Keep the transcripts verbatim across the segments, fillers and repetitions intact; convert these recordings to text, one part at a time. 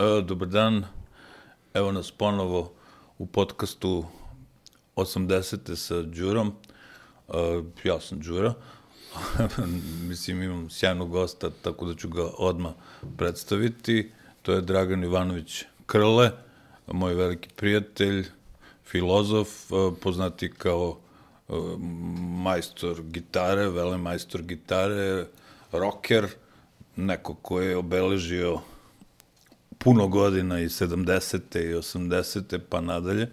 E, dobar dan, evo nas ponovo u podcastu osamdesete sa Đurom. E, ja sam Đura, mislim imam sjajnog gosta, tako da ću ga odmah predstaviti. To je Dragan Ivanović Krle, moj veliki prijatelj, filozof, poznati kao majstor gitare, velemajstor gitare, rocker, neko ko je obeležio puno godina i sedamdesete i osamdesete pa nadalje.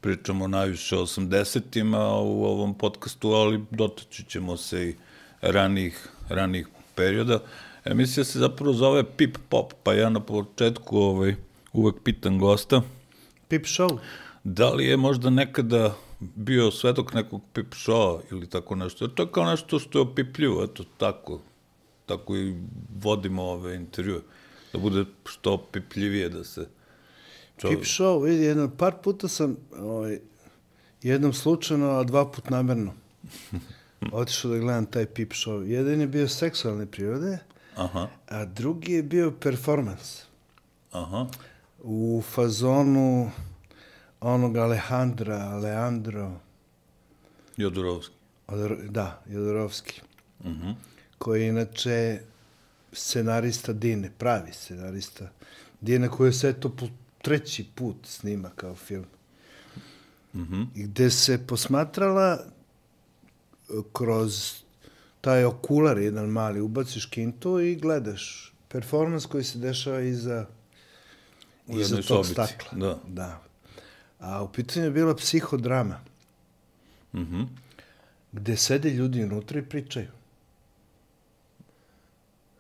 Pričamo najviše o osamdesetima u ovom podcastu, ali dotaći ćemo se i ranijih, ranijih perioda. Emisija se zapravo zove Pip Pop, pa ja na početku ovaj, uvek pitam gosta. Pip show? Da li je možda nekada bio svedok nekog pip showa ili tako nešto? To je kao nešto što je opipljivo, eto tako. Tako i vodimo ove intervjue. Da bude što opipljivije da se... Čovjek... Pip show, vidi, jedno, par puta sam, ovaj, jednom slučajno, a dva put namerno, otišao da gledam taj pip show. Jedan je bio seksualne prirode, Aha. a drugi je bio performans. Aha. U fazonu onog Alejandra, Leandro... Jodorovski. Odor, da, Jodorovski. Uh-huh. Koji je inače scenarista Dine, pravi scenarista Dine, koji se to po treći put snima kao film. Uh-huh. I gde se posmatrala kroz taj okular, jedan mali, ubaciš kintu i gledaš performans koji se dešava iza, iza tog sobici. stakla. Da. Da. A u pitanju je bila psihodrama. Uh-huh. Gde sede ljudi unutra i pričaju.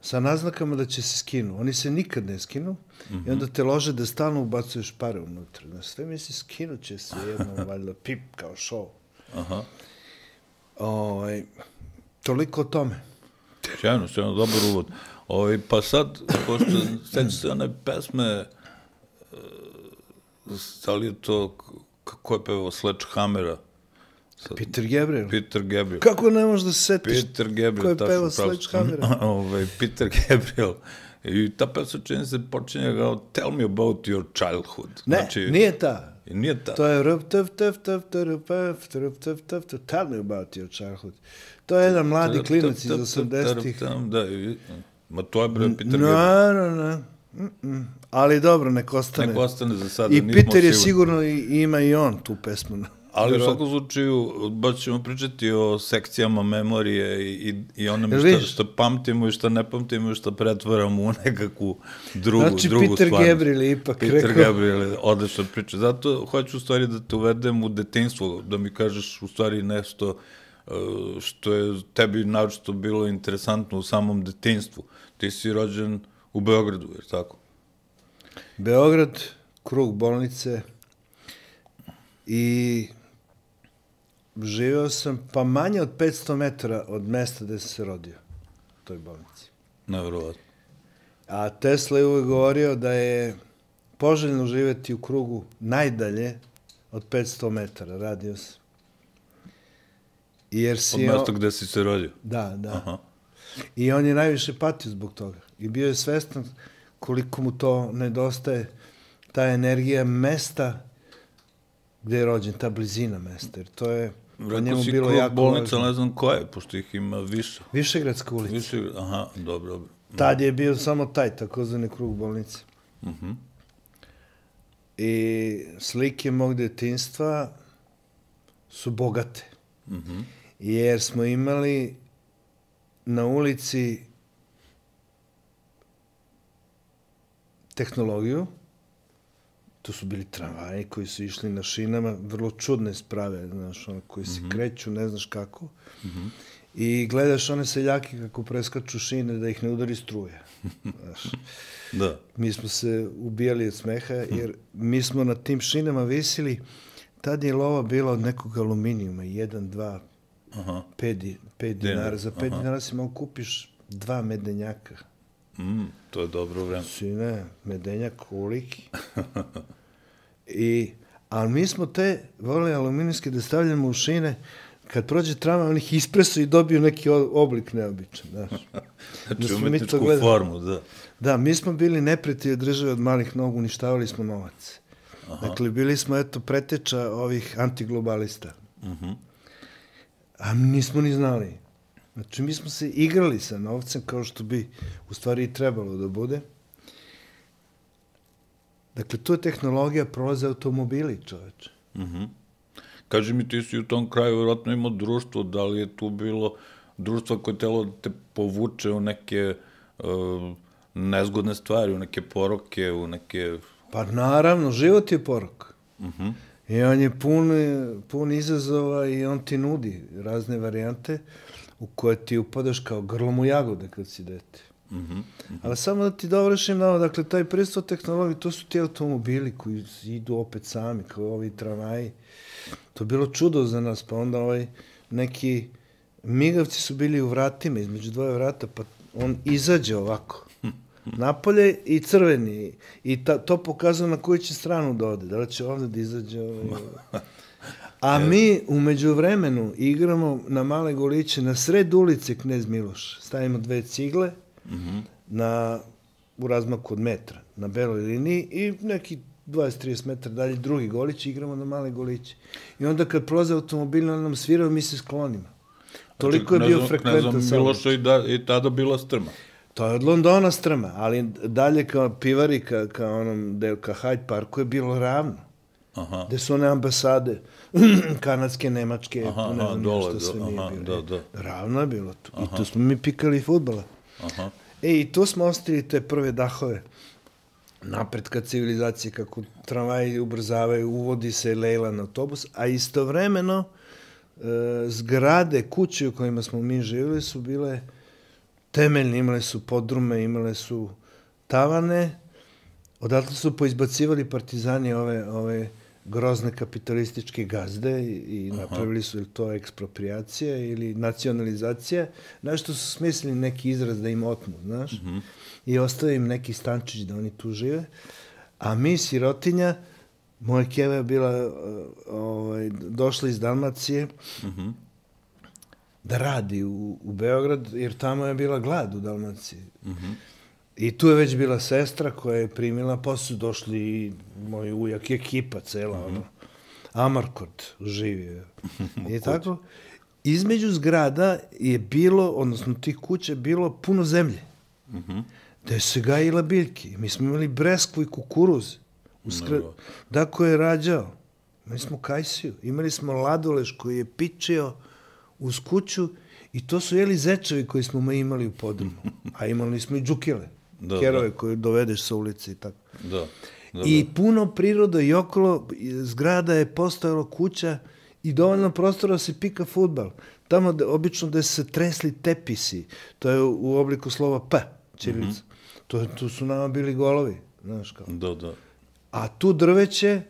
Sa naznakama da će se skinu. Oni se nikad ne skinu uh-huh. i onda te lože da stalno ubacuješ pare unutra. Da sve misli, skinut će se jednom, valjda, pip kao show. Aha. O, toliko o tome. Sjajno, sjajno, dobar uvod. O, pa sad, pošto seći se one pesme, da li je to, kako je pevao Sledgehammera? Sad, Peter Gabriel. Peter Gabriel. Kako ne možeš da se setiš Peter Gabriel, ko je tačno, pevao Sledgehammera? Ovaj, Peter Gabriel. I ta pesma čini se počinje kao Tell me about your childhood. Ne, znači, nije ta. Nije ta. To je rup, tf, tf, tf, tf, tf, tf, tf, tf, tell me about your childhood. To je jedan mladi klinac iz osamdesetih. Da, ma to je bre Peter no, Gabriel. No, no, no. Ali dobro, nek ostane. Nek ostane za sada. I Peter je sigurno, i, ima i on tu pesmu. Ali u svakom slučaju, baš ćemo pričati o sekcijama memorije i, i onome šta, šta pamtimo i šta ne pamtimo i šta pretvaramo u nekakvu drugu, znači, drugu Peter stvarnost. Gabriel je ipak Peter rekao... Gabriel je odlična priča. Zato hoću u stvari da te uvedem u detinjstvo, da mi kažeš u stvari nešto što je tebi naročito bilo interesantno u samom detinjstvu. Ti si rođen u Beogradu, jer tako? Beograd, krug bolnice i živeo sam pa manje od petsto metara od mesta gde sam se rodio, u toj bolnici. Nevjerovatno. A Tesla je uvek govorio da je poželjno živeti u krugu najdalje od petsto metara, radio sam. Jer si od mesta on... gde si se rodio? Da, da. Aha. I on je najviše patio zbog toga. I bio je svestan koliko mu to nedostaje, ta energija mesta gde je rođen, ta blizina mesta. Jer to je po njemu bilo jako važno. Rekao si bolnica, ne znam koje, pošto ih ima više. Višegradska ulica. Više, aha, dobro, dobro. Tad je bio samo taj, takozvani krug bolnice. Uh-huh. I slike mog detinjstva su bogate. Uh-huh. Jer smo imali na ulici tehnologiju, to su bili tramvaji koji su išli na šinama, vrlo čudne sprave, znaš, ono, koji se mm-hmm. kreću, ne znaš kako. Mm-hmm. I gledaš one seljake kako preskaču šine da ih ne udari struja. Znaš. Da. Mi smo se ubijali od smeha, jer mi smo na tim šinama visili, tad je lova bila od nekog aluminijuma, jedan, dva, Aha. pet, pet dinara. Za pet Aha. dinara si mogu kupiš dva medenjaka. Mm, to je dobro vreme. Sine, medenjak koliki. I, ali mi smo te volili aluminijske da stavljamo u šine kad prođe tramvaj, oni ih ispresu i dobiju neki oblik neobičan, znaš. Znači, umetničku formu, da. Da, mi smo bili neprijatelji države od malih nogu, uništavali smo novac. Dakle, bili smo, eto, preteča ovih antiglobalista. A nismo ni znali. Znači, mi smo se igrali sa novcem kao što bi u stvari i trebalo da bude. Dakle, tu je tehnologija, prolaze automobili, čoveče. Kaži mi, ti si u tom kraju vjerojatno imao društvo, da li je tu bilo društvo koje telo da te povuče u neke nezgodne stvari, u neke poroke, u neke... Pa naravno, život je porok. I on je pun izazova i on ti nudi razne varijante u koje ti upadaš kao grlom u jagode kad si dete. Ali samo da ti dovršim na ovo, dakle, taj pristup tehnologije, to su ti automobili koji idu opet sami, kao ovi tramvaji. To je bilo čudo za nas, pa onda ovaj neki migavci su bili u vratima, između dvoje vrata, pa on izađe ovako, napolje i crveni, i to pokazuje na koju će stranu da ode, da li će ovdje da izađe. A mi umeđu vremenu igramo na male goliće, na sred ulice Knez Miloš, stavimo dve cigle u razmaku od metra, na beloj liniji i neki dvadeset do trideset metara dalje drugi golić, igramo na male goliće. I onda kad prolaze automobili, on nam svirao, mi se sklonimo. Toliko je bio frekventan saobraćaj. Miloša i tada bila strma. To je od Londona strma, ali dalje kao pivari, kao onom delu, ka Hyde Parku je bilo ravno. Gde su one ambasade, kanadske, nemačke, ne znam što sve nije bilo. Ravno je bilo tu. I tu smo mi pikali fudbala. E, i tu smo ostavili te prve dahove napretka civilizacije, kako tramvaji ubrzavaju, uvodi se lejlan autobus, a istovremeno zgrade, kuće u kojima smo mi živjeli su bile temeljne, imale su podrume, imale su tavane, odatle su poizbacivali partizani ove grozne kapitalističke gazde i napravili su ili to ekspropriacija ili nacionalizacija, nešto su smislili neki izraz da im otmu, znaš, i ostaje im neki stančić da oni tu žive, a mi, sirotinja, moja keva je bila došla iz Dalmacije da radi u Beograd, jer tamo je bila glad u Dalmaciji. I tu je već bila sestra koja je primila, posle su došli i moj ujak i ekipa cela, ono, Amarkot živio. I tako, između zgrada je bilo, odnosno tih kuća, bilo puno zemlje, gde se gajila biljke. Mi smo imali breskvu i kukuruz. Dako je rađao. Imali smo kajsiju. Imali smo ladoleš koji je pičio uz kuću i to su jeli zečevi koji smo imali u podrumu. A imali smo i džukile, kerove koje dovedeš sa ulice i tako. I puno priroda i okolo zgrada je postojala kuća i dovoljno prostora se pika fudbal. Tamo obično gde se tresli tepisi, to je u obliku slova P, ćirilica. Tu su nama bili golovi, znaš kao. Da, da. A tu drveće,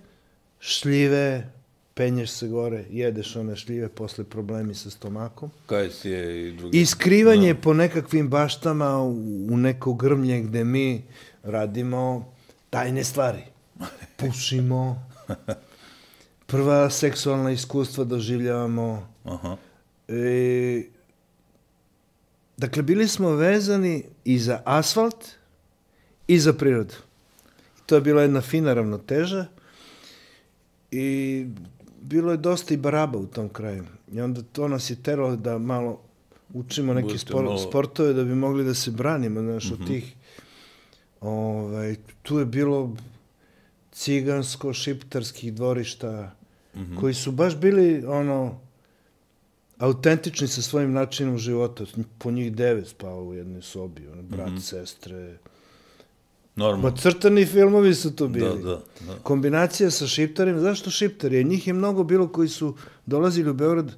šljive, penješ se gore, jedeš one šljive, posle problemi sa stomakom. Kajsije i drugi. I skrivanje po nekakvim baštama u neko grmlje gde mi radimo tajne stvari. Pušimo, prva seksualna iskustva doživljavamo. Dakle, bili smo vezani i za asfalt i za prirodu. To je bila jedna fina ravnoteža i bilo je dosta i baraba u tom kraju. I onda to nas je teralo da malo učimo neke sportove da bi mogli da se branimo, znaš, od tih. Tu je bilo cigansko-šiptarskih dvorišta koji su baš bili, ono, autentični sa svojim načinom života. Po njih devet spava u jednoj sobi, brat, sestre. Normalno. Crtani filmovi su to bili. Kombinacija sa šiptarima. Zašto šiptari? Njih je mnogo bilo koji su dolazili u Beograd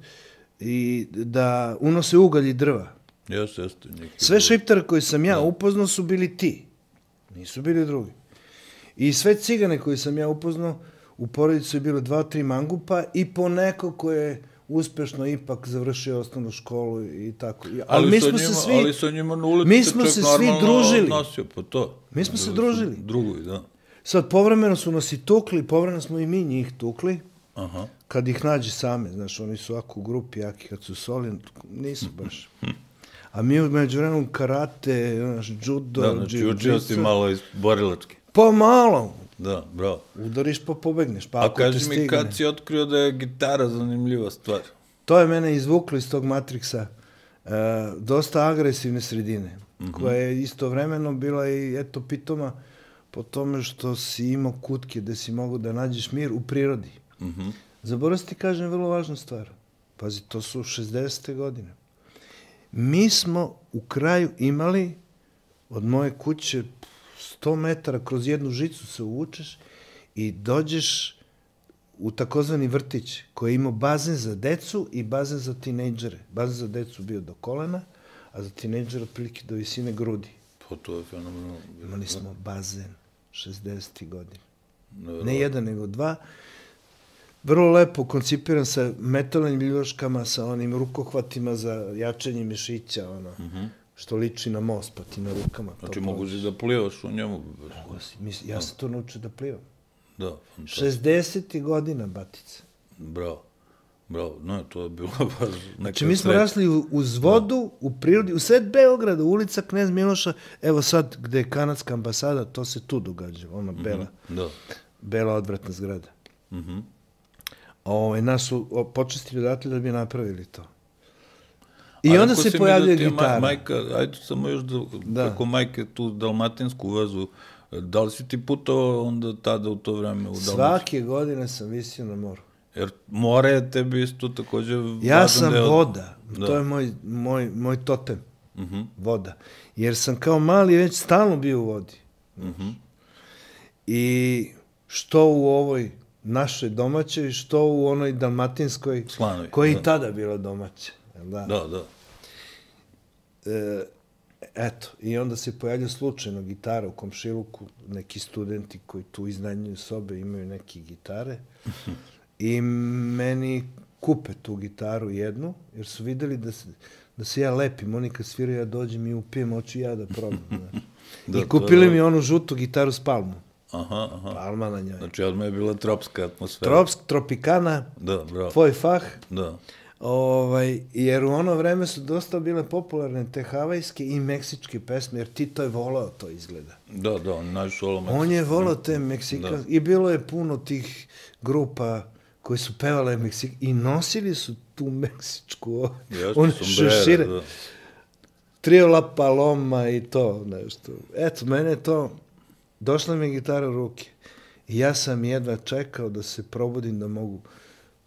i da unose ugalj i drva. Jeste, jeste. Sve šiptare koje sam ja upoznao su bili ti. Nisu bili drugi. I sve cigane koje sam ja upoznao, u porodicu je bilo dva, tri mangupa i po neko koje je uspešno ipak završio osnovnu školu i tako. Ali mi smo se svi... Ali sa njima na ulici mi smo se svi družili. Po to. Mi smo se družili. Drugovi, da. Sad, povremeno su nas i tukli, povremeno smo i mi njih tukli. kad ih nađi same, znaš, oni su ovako u grupi jaki, kad su soli, nisu baš. A mi među vremenom karate, znaš, judo, da, znači učio si malo iz borilačke. Pa malo. Da, bravo. Udariš pa pobegneš, pa A ako te kaži stigne. mi kad si otkrio da je gitara zanimljiva stvar? To je mene izvuklo iz tog Matrixa. Uh, dosta agresivne sredine, mm-hmm. koja je istovremeno bila i eto pitoma po tome što si imao kutke gde si mogu da nađeš mir u prirodi. Mm-hmm. Zaboravim ti kažem vrlo važnu stvar. Pazi, to su šezdesete godine. Mi smo u kraju imali od moje kuće sto metara kroz jednu žicu se uvučeš i dođeš u takozvani vrtić koji je imao bazen za decu i bazen za tinejdžere. Bazen za decu bio do kolena, a za tinejdžere otprilike do visine grudi. Pa to je fenomenalno. Imali smo bazen šezdesetih godina. Ne, ne jedan, nego dva. Vrlo lepo koncipiran sa metalnim biljuškama, sa onim rukohvatima za jačanje mišića, ono, mm-hmm. što liči na most, pa ti na rukama. Znači, mogu si da plivaš u njemu? Mogu si. Mis, ja sam to naučio da plivam. Da, fantastično. šezdesetih godina, batica. Bravo. Bravo. No, to je bilo baš neka Znači, mi smo sreća. rasli uz vodu, da. U prirodi, u sred Beograda, ulica Knez Miloša, evo sad, gde je kanadska ambasada, to se tu događa, ona bela, mm-hmm. da. bela odvratna zgrada. Mhm. Ove, nas su počestili odatle da bi napravili to. I ali onda se pojavljuje da gitara. Majka, ajde samo još da, da. Kako majke tu dalmatinsku vezu, da li si ti putovao onda tada u to vreme u Dalmaciju? Svake godine sam visio na moru. Jer more je tebi isto takođe važan ja sam deo... voda, da. To je moj, moj, moj totem, uh-huh. voda. Jer sam kao mali već stalno bio u vodi. Uh-huh. I što u ovoj našoj domaćoj, što u onoj dalmatinskoj, Slanovi, koja da. I tada bila domaća. Da, da. da. E, eto, i onda se pojavlja slučajno gitara u komšiluku, neki studenti koji tu iznajmljuju sobe imaju neke gitare i meni kupe tu gitaru jednu, jer su videli da se, da se ja lepim, oni kad sviraju ja dođem i upijem, hoću ja da probam. da, I kupili mi onu žutu gitaru s palmom. Aha, aha. Palma na njoj. Znači, odmah je bila tropska atmosfera. Tropsk, tropikana, da, bravo. Tvoj fah. Da. Ovaj, jer u ono vreme su dosta bile popularne te havajske i meksičke pesme, jer Tito je volao to izgleda. Da, da, on najviše volao On je volao te meksikanske, i bilo je puno tih grupa koji su pevale Meksik i nosili su tu meksičku, one šešire. Da. Trio La Paloma i to nešto. Eto, mene to, došla mi je gitara u ruke i ja sam jedva čekao da se probudim da mogu,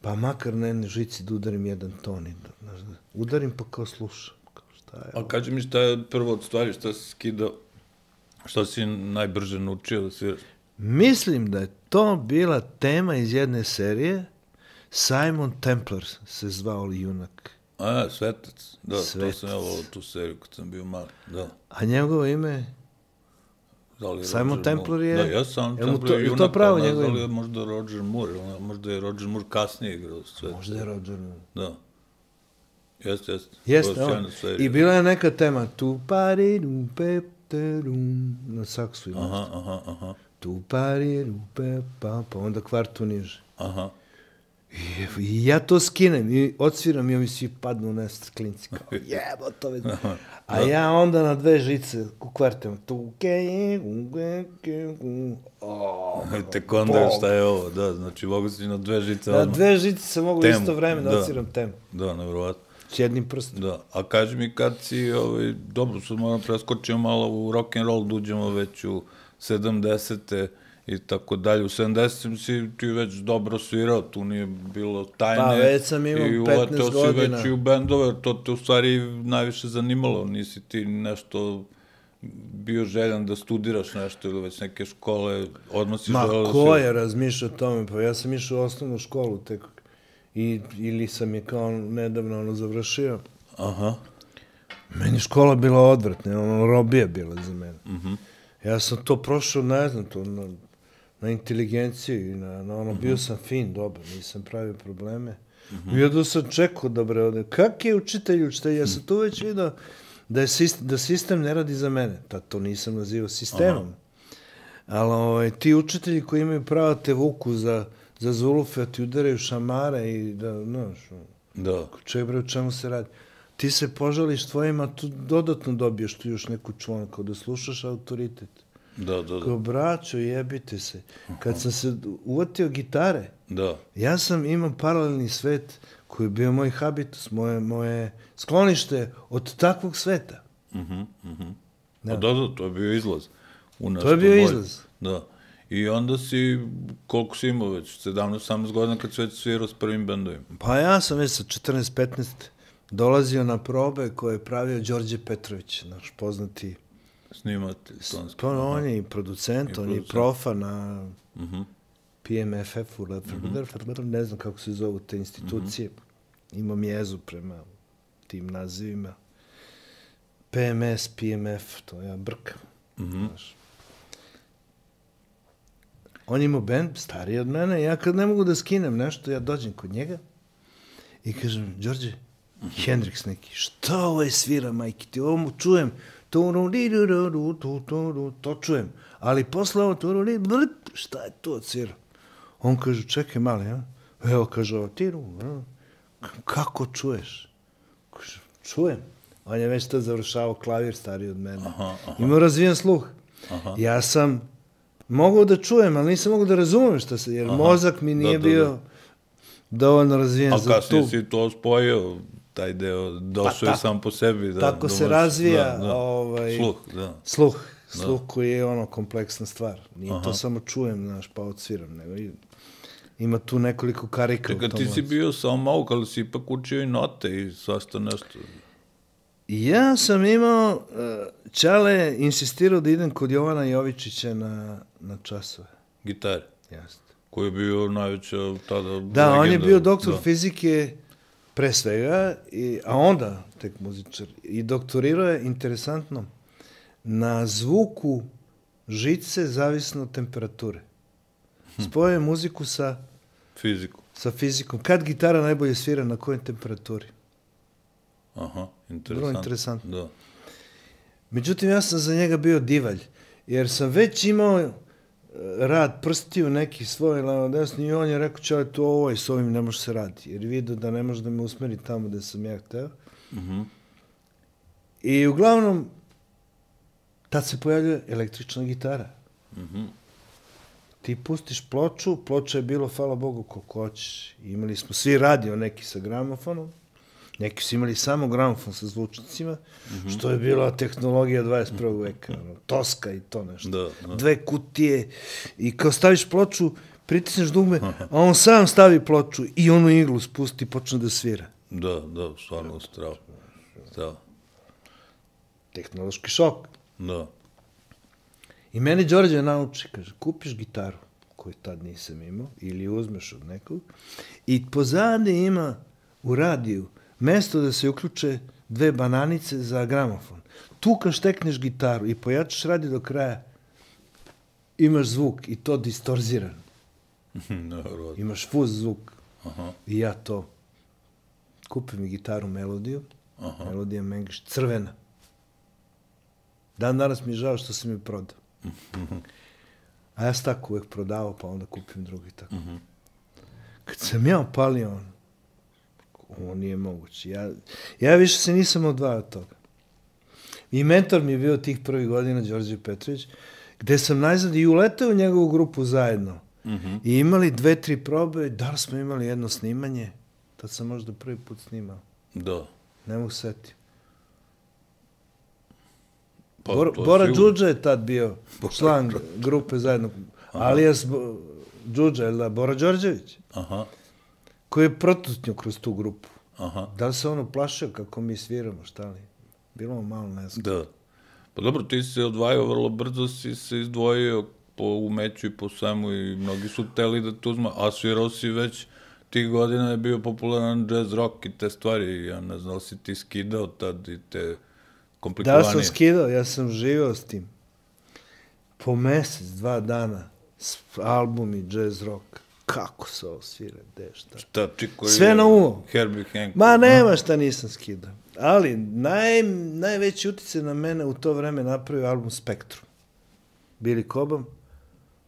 pa makar na jednoj žici da udarim jedan ton i da, znaš, da udarim pa kao slušam. Kao šta je, a kaži mi šta je prvo od stvari, šta si skidao, šta si najbrže naučio da sviraš? Mislim da je to bila tema iz jedne serije, Simon Templar se zvao junak. A, Svetac. Da, Svetac. To sam ja volao tu seriju kad sam bio mali. Da. A njegovo ime? Da li je Simon Roger Templar je... Da, ja sam Templar to, je junak, to pravo ali njegovo da li ime? je možda Roger Moore, možda je Roger Moore kasnije igrao Svetac. Možda je Roger Moore. Da. Jeste, jeste. Jeste, on. I bila je neka tema, tu pari, dum, pe, te, dum, na saksu ima. Aha, aha, aha. Tu pari, dum, pe, pa, pa onda kvartu niže. Aha. I, I ja to skinem i odsviram i ovi svi padnu u nest klinci kao jebo to već. A ja onda na dve žice u kvartama tu ke Tek onda šta je ovo, da, znači mogu si na dve žice na odmah. dve žice se mogu temu. Isto vreme da, da odsviram temu. Da, nevjerovatno. S jednim prstom. Da, a kaži mi kad si, ovaj, dobro, sad moram preskočiti malo u rock'n'roll, duđemo već u sedamdesete i tako dalje. U sedamdesetim si ti već dobro svirao, tu nije bilo tajne. Pa već sam imao petnaest godina. I uleteo si već i u bendove, to te u stvari najviše zanimalo. Nisi ti nešto bio željan da studiraš nešto ili već neke škole, odmah si želeo da Ma, ko je razmišljao o tome? Pa ja sam išao u osnovnu školu tek. I, ili sam je kao nedavno ono završio. Aha. Meni škola bila odvratna, ono robija bila za mene. Mhm. Ja sam to prošao, ne znam, to na, na inteligenciju i na, na ono, uh-huh. bio sam fin, dobar, nisam pravio probleme. Uh-huh. I jedno sam čekao da bre ode. Kak je učitelj učitelj? Ja sam tu već vidio da, je sistem, da sistem ne radi za mene. Tad to nisam nazivao sistemom. Uh-huh. Ali ovaj, ti učitelji koji imaju pravo te vuku za, za zulufe, ti udaraju šamare i da, znaš, Da. čebre, o čemu se radi. Ti se požališ tvojima, tu dodatno dobiješ tu još neku čvonu, kao da slušaš autoritet. Da, da, da. Kao, braćo, jebite se. Kad sam se uvatio gitare, Da. ja sam imao paralelni svet koji je bio moj habitus, moje, moje sklonište od takvog sveta. Mhm, mhm. Da. Da. da, da, to je bio izlaz. U nešto To je bio bolje. izlaz. Da. I onda si, koliko si imao već, sedamnaest osamnaest godina kad si već svirao s prvim bendovima? Pa ja sam već sa četrnaest petnaest dolazio na probe koje je pravio Đorđe Petrović, naš poznati. Snimatelj tonski. Pa on je i producent, I on je producent. profa na Mhm. P M F F-u, ne znam kako se zovu te institucije. Imam jezu prema tim nazivima. P M S, P M F, to ja brkam. Mhm. Znaš. On ima bend, stariji od mene, ja kad ne mogu da skinem nešto, ja dođem kod njega i kažem, Đorđe, Hendrix neki, šta ovo je svira, majke, ti ovo mu čujem, to čujem, ali posle ovo, šta je to svira? On kaže, čekaj mali, ja? Evo, kaže, ovo, tiru, kako čuješ? Kaže, čujem. On je već to završavao klavir, stariji od mene. Aha, aha. Imao razvijen sluh. Aha. Ja sam mogao da čujem, ali nisam mogao da razumem šta se, jer Aha. mozak mi nije Da, da, bio da. dovoljno razvijen A za kasnije tu. si to spojio, taj deo, došao Pa je tako- sam po sebi. Da, tako da se možeš- razvija, da, da. ovaj, Sluh, da. Sluh, sluh koji je ono kompleksna stvar. Nije to Aha. samo čujem, znaš, pa odsviram, nego i- ima tu nekoliko karika u Čekaj, tom. ti si lancu. bio samo mauk, ali si ipak učio i note i svašta nešto. Ja sam imao, uh, Čale je insistirao da idem kod Jovana Jovičića na, na časove. Gitare, Jasno. koji je bio najveća tada Da, on je legenda. bio doktor Da. fizike pre svega, i, a onda tek muzičar. I doktorirao je, interesantno, na zvuku žice zavisno od temperature. Spojio je muziku sa, Fiziku. sa fizikom. Kad gitara najbolje svira, na kojoj temperaturi? Aha, interesantno. Vrlo interesantno. Da. Međutim, ja sam za njega bio divalj, jer sam već imao e, rad prstiju neki svoj levo desno i on je rekao, čale, to ovo i s ovim ne može se raditi, jer vidio da ne može da me usmeri tamo gde sam ja hteo. Mhm. I uglavnom, tad se pojavljuje električna gitara. Mhm. Ti pustiš ploču, ploča je bilo, hvala Bogu, koliko hoćeš. Imali smo svi radio neki sa gramofonom, neki su imali samo gramofon sa zvučnicima, što je bila tehnologija dvadeset prvog veka, ono, Toska i to nešto. Da, da. Dve kutije i kao staviš ploču, pritisneš dugme, a on sam stavi ploču i onu iglu spusti i počne da svira. Da, da, stvarno strava. Da, Tehnološki šok. da. I meni Đorđe nauči, kaže, kupiš gitaru, koju tad nisam imao, ili uzmeš od nekog, i pozadi ima u radiju mesto da se uključe dve bananice za gramofon. Tu kad štekneš gitaru i pojačaš radio do kraja, imaš zvuk i to distorziran. Naravno. Imaš fuz zvuk. Aha, I ja to. Kupim mi gitaru Melodiju. aha. Melodija Mengiš, crvena. Dan danas mi je žao što sam je prodao. A ja sam tako uvek prodavao, pa onda kupim drugi tako. Kad sam ja opalio on, ovo nije moguće. Ja, ja više se nisam odvajao od toga. I mentor mi je bio tih prvih godina, Đorđe Petrović, gde sam najzad i uletao u njegovu grupu zajedno. Mhm. I imali dve, tri probe, da li smo imali jedno snimanje, tad sam možda prvi put snimao. Da. Ne mogu setiti. Pa, Bor, to je Bora sigurno. Đuđa je tad bio član grupe zajedno. Alias Bo- Đuđa, je li da? Bora Đorđević, Aha, koji je protutnio kroz tu grupu. aha. Da li se ono plašio kako mi sviramo, šta li? Bilo mu malo nezgodno. Da. Pa dobro, ti si se odvajao vrlo brzo, si se izdvojio po umeću i po svemu i mnogi su teli da te uzma, a svirao si već tih godina je bio popularan jazz rock i te stvari, ja ne znam da li si ti skidao tad i te Da komplikovanije. sam skidao, ja sam živao s tim. Po mesec, dva dana, s albumi jazz rock. Kako se ovo svira, gde, šta? Šta, čiko Sve na uvo. Herbie Hancock. Ma nema šta nisam skidao. Ali naj, najveći utjecaj na mene u to vreme napravio album Spektrum. Billy Cobham.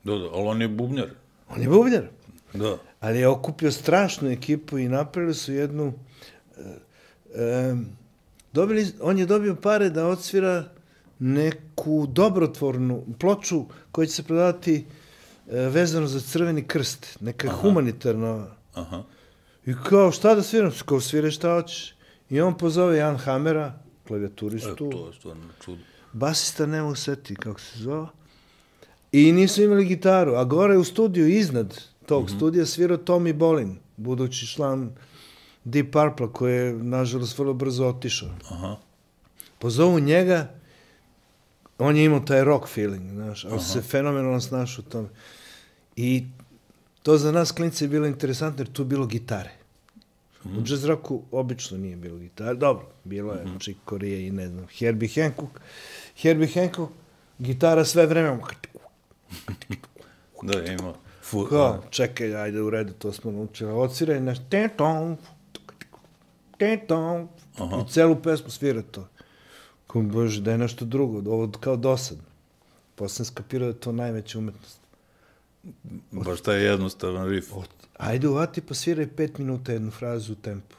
Da, da, ali on je bubnjar. On je bubnjar. Da. ali je okupio strašnu ekipu i napravili su jednu... E, e, dobili, on je dobio pare da odsvira neku dobrotvornu ploču koja će se prodavati e, vezano za Crveni krst, neka Aha. humanitarna. Aha. I kao, šta da sviram? Kao svire šta hoćeš. I on pozove Jan Hamera, klavijaturistu. E, to je stvarno čudo. Basista ne mogu setiti kako se zove. I nisu imali gitaru, a gore u studiju iznad tog mm-hmm. studija svirao Tommy Bolin, budući član Deep Purple, koji je, nažalost, vrlo brzo otišao. Aha. Pozovu njega, on je imao taj rock feeling, znaš, ali se fenomenalno snašao u tome. I to za nas klinci je bilo interesantno, jer tu je bilo gitare. Mm. U jazz rocku obično nije bilo gitare. Dobro, bilo je mm-hmm. Chick Corea i ne znam, Herbie Hancock. Herbie Hancock, gitara sve vreme. Da, ima. Fu, Kao, čekaj, ajde u redu, to smo naučili. Odsviraj naš ten-tom, ten-tom, i celu pesmu svira to. Kao, bože, da je nešto drugo, ovo kao dosadno. Posle sam skapirao da je to najveća umetnost. Baš taj jednostavan riff. Od, ajde uvati pa sviraj pet minuta jednu frazu u tempu.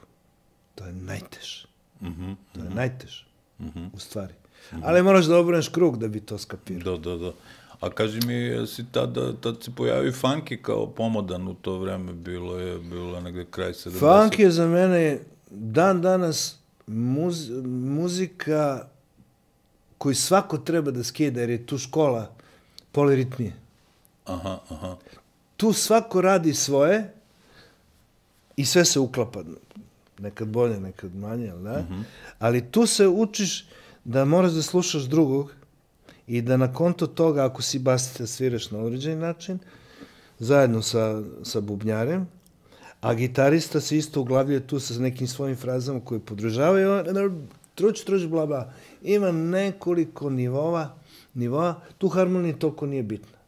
To je najteže. Mm-hmm, to je mm-hmm. najteže, mm-hmm. u stvari. Mm-hmm. Ali moraš da obrneš krug da bi to skapirao. Da, da, da. A kaži mi, jesi tada, tad se pojavi funky kao pomodan u to vreme, bilo je, bilo je negde kraj sedamdesetih. Funk je za mene dan danas muz, muzika koju svako treba da skida, jer je tu škola poliritmije. Aha, aha. Tu svako radi svoje i sve se uklapa. Nekad bolje, nekad manje, ali da? Mm-hmm. Ali tu se učiš da moraš da slušaš drugog i da na konto toga, ako si basista, sviraš na određeni način, zajedno sa, sa bubnjarem, a gitarista se isto uglavljuje tu sa nekim svojim frazama koje podržavaju, truć, truć, bla, bla. Ima nekoliko nivova, nivoa, tu harmonija toliko nije bitna.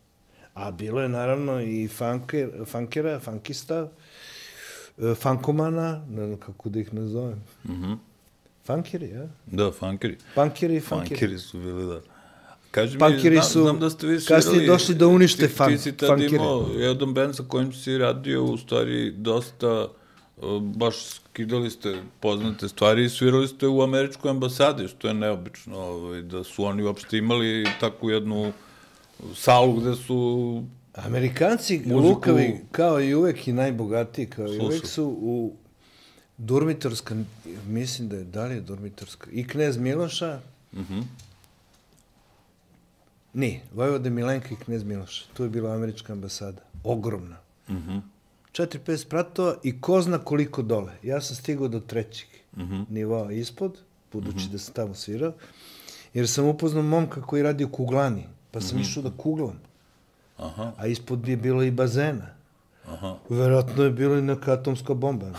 A bilo je naravno i funker, funkera, funkista, funkomana, ne znam kako da ih nazovem. Mm-hmm. Funkeri, ja? Da, funkeri. Punkeri i funkeri. Funkeri su bili, da. Kaži punkeri mi, su znam da ste vi svirali... kasnije došli da unište ti, fun, ti si tad imao jedan band sa kojim si radio, u stvari dosta, baš skidali ste poznate stvari i svirali ste u američkoj ambasadi, što je neobično, ovaj, da su oni uopšte imali takvu jednu salu gde su... Amerikanci, muziku... lukavi, kao i uvek i najbogatiji, kao i uvek su u Durmitorska, mislim da je, da li je Durmitorska, i Knez Miloša, mm-hmm. Nije, Vojvode Milenka i Knez Miloša. Tu je bila američka ambasada. Ogromna. Mm-hmm. Četiri, pet spratova i ko zna koliko dole. Ja sam stigao do trećeg mm-hmm. nivoa ispod, budući mm-hmm. da sam tamo svirao, jer sam upoznao momka koji radi u kuglani, pa sam mm-hmm. išao da kuglam. Aha. A ispod je bilo i bazena. Aha. Verovatno je bilo i neka atomska bomba.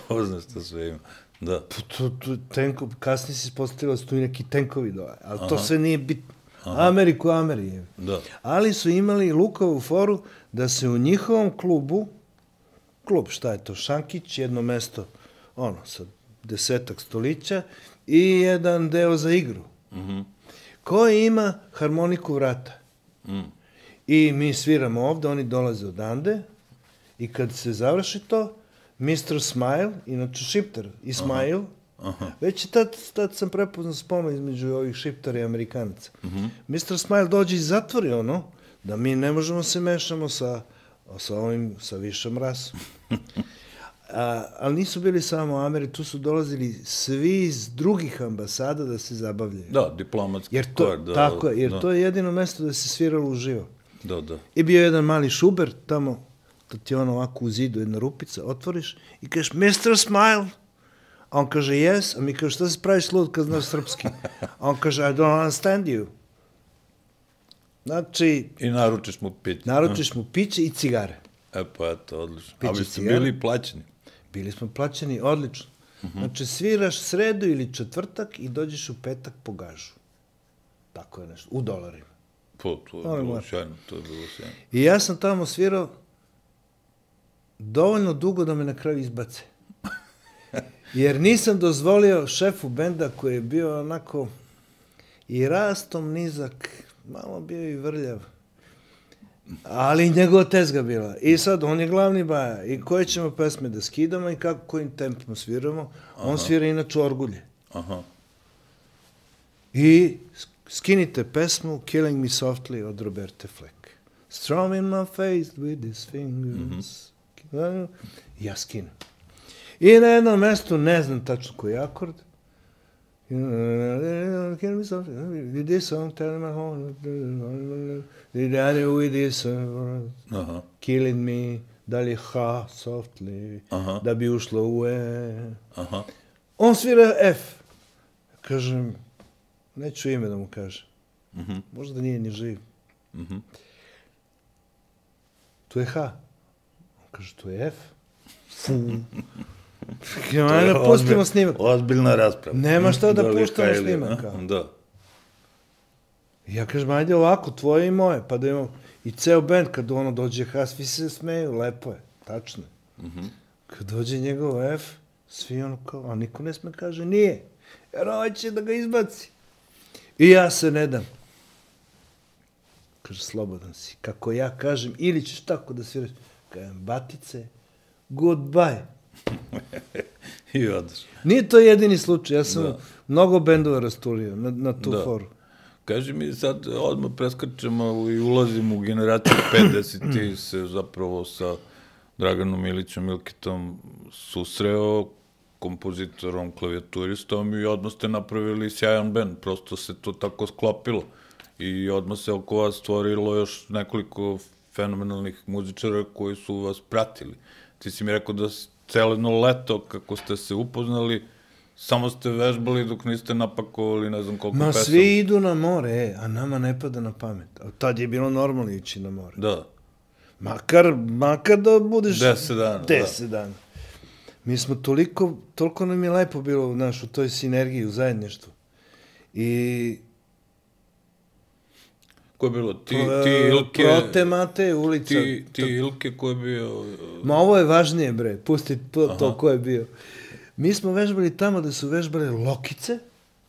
Ko zna što sve ima. Da. To, to, tenko, kasnije se ispostavilo da su tu i neki tenkovi dole, ali Aha. to sve nije bitno. Aha. Ameriku, Amerije. Da. Ali su imali lukovu foru da se u njihovom klubu, klub, šta je to, Šankić, jedno mesto, ono, sa desetak stolića i jedan deo za igru. Mm-hmm. Koji ima harmoniku vrata. Mm. I mi sviramo ovde, oni dolaze odande i kad se završi to, mister Smile, inače šiptar, Ismail, Aha. Aha. Već i tad, tad sam prepoznao sponu između ovih šiptara i Amerikanaca. Mm-hmm. mister Smile dođe i zatvori ono, da mi ne možemo se mešamo sa, sa ovim, sa višom rasom. A, ali nisu bili samo Ameri, tu su dolazili svi iz drugih ambasada da se zabavljaju. Da, diplomatski jer to, kor, da. Tako je, jer da. to je jedino mesto da se sviralo uživo. Da, da. I bio jedan mali šuber tamo, da ti ono ovako u zidu jedna rupica, otvoriš i kažeš, mister Smile, a on kaže, yes, a mi kaže, šta se praviš lud kad znaš srpski? A on kaže, I don't understand you. Znači... I naručiš mu piće. Naručiš mu piće i cigare. E pa eto, odlično. Piće, ali ste bili plaćeni? Bili smo plaćeni, odlično. Uh-huh. Znači, sviraš sredu ili četvrtak i dođeš u petak po gažu. Tako je nešto, u dolarima. Po, to je Ovo bilo sjajno, to je bilo sjajno. I ja sam tamo svirao dovoljno dugo da me na kraju izbace. Jer nisam dozvolio šefu benda koji je bio onako i rastom nizak, malo bio i vrljav. Ali njegova tezga bila. I sad, on je glavni baja. I koje ćemo pesme da skidamo i kako, kojim tempom sviramo. On svira inače orgulje. Aha. I skinite pesmu Killing Me Softly od Roberte Fleck. Strum in my face with his fingers. Mm-hmm. Ja skinem. I na jednom mestu, ne znam tačno koji akord, Killing me softly with this song, telling my home, with this song, Aha. Killing me, da li je ha, softly, Aha. da bi ušlo u e. Aha. On svira F. Kažem, neću ime da mu kažem. Mhm. Možda nije ni živ. Mhm. Tu je H. On kaže, tu je F. Ajde, pustimo snimak. Ozbiljna rasprava. Nema šta da li je puštamo H ili- snimak. a? Da. Ja kažem, ajde ovako, tvoje i moje, pa da imamo... I ceo band, kad ono dođe H, svi se smeju, lepo je, tačno je. Mhm. Kad dođe njegov F, svi ono kao, a niko ne sme kaže, nije. Jer ovaj će da ga izbaci. I ja se ne dam. Kaže, slobodan si. Kako ja kažem, ili ćeš tako da sviraš. Kažem, batice, goodbye. I odeš. Nije to jedini slučaj, ja sam Da. mnogo bendova rasturio na, na tu Da. foru. Kaži mi sad, odmah preskačemo i ulazimo u generaciju pedeset, ti se zapravo sa Draganom Ilićem Milkitom susreo, kompozitorom, klavijaturistom i odmah ste napravili sjajan band, prosto se to tako sklopilo i odmah se oko vas stvorilo još nekoliko fenomenalnih muzičara koji su vas pratili. Ti si mi rekao da s- celo jedno leto kako ste se upoznali, samo ste vežbali dok niste napakovali ne znam koliko Ma pesama. svi idu na more, e, a nama ne pada na pamet. A tad je bilo normalno ići na more. Da. Makar, makar da budeš... Deset dana, da. Deset dana. Mi smo toliko, toliko nam je lepo bilo, znaš, u toj sinergiji, u zajedništvu. I... Ko je bilo? Ti, e, ti Ilke... Prote Mate, ulica. Ti, ti Ilke ko je bio... Ma ovo je važnije, bre, pusti to, to Aha. ko je bio. Mi smo vežbali tamo da su vežbale lokice,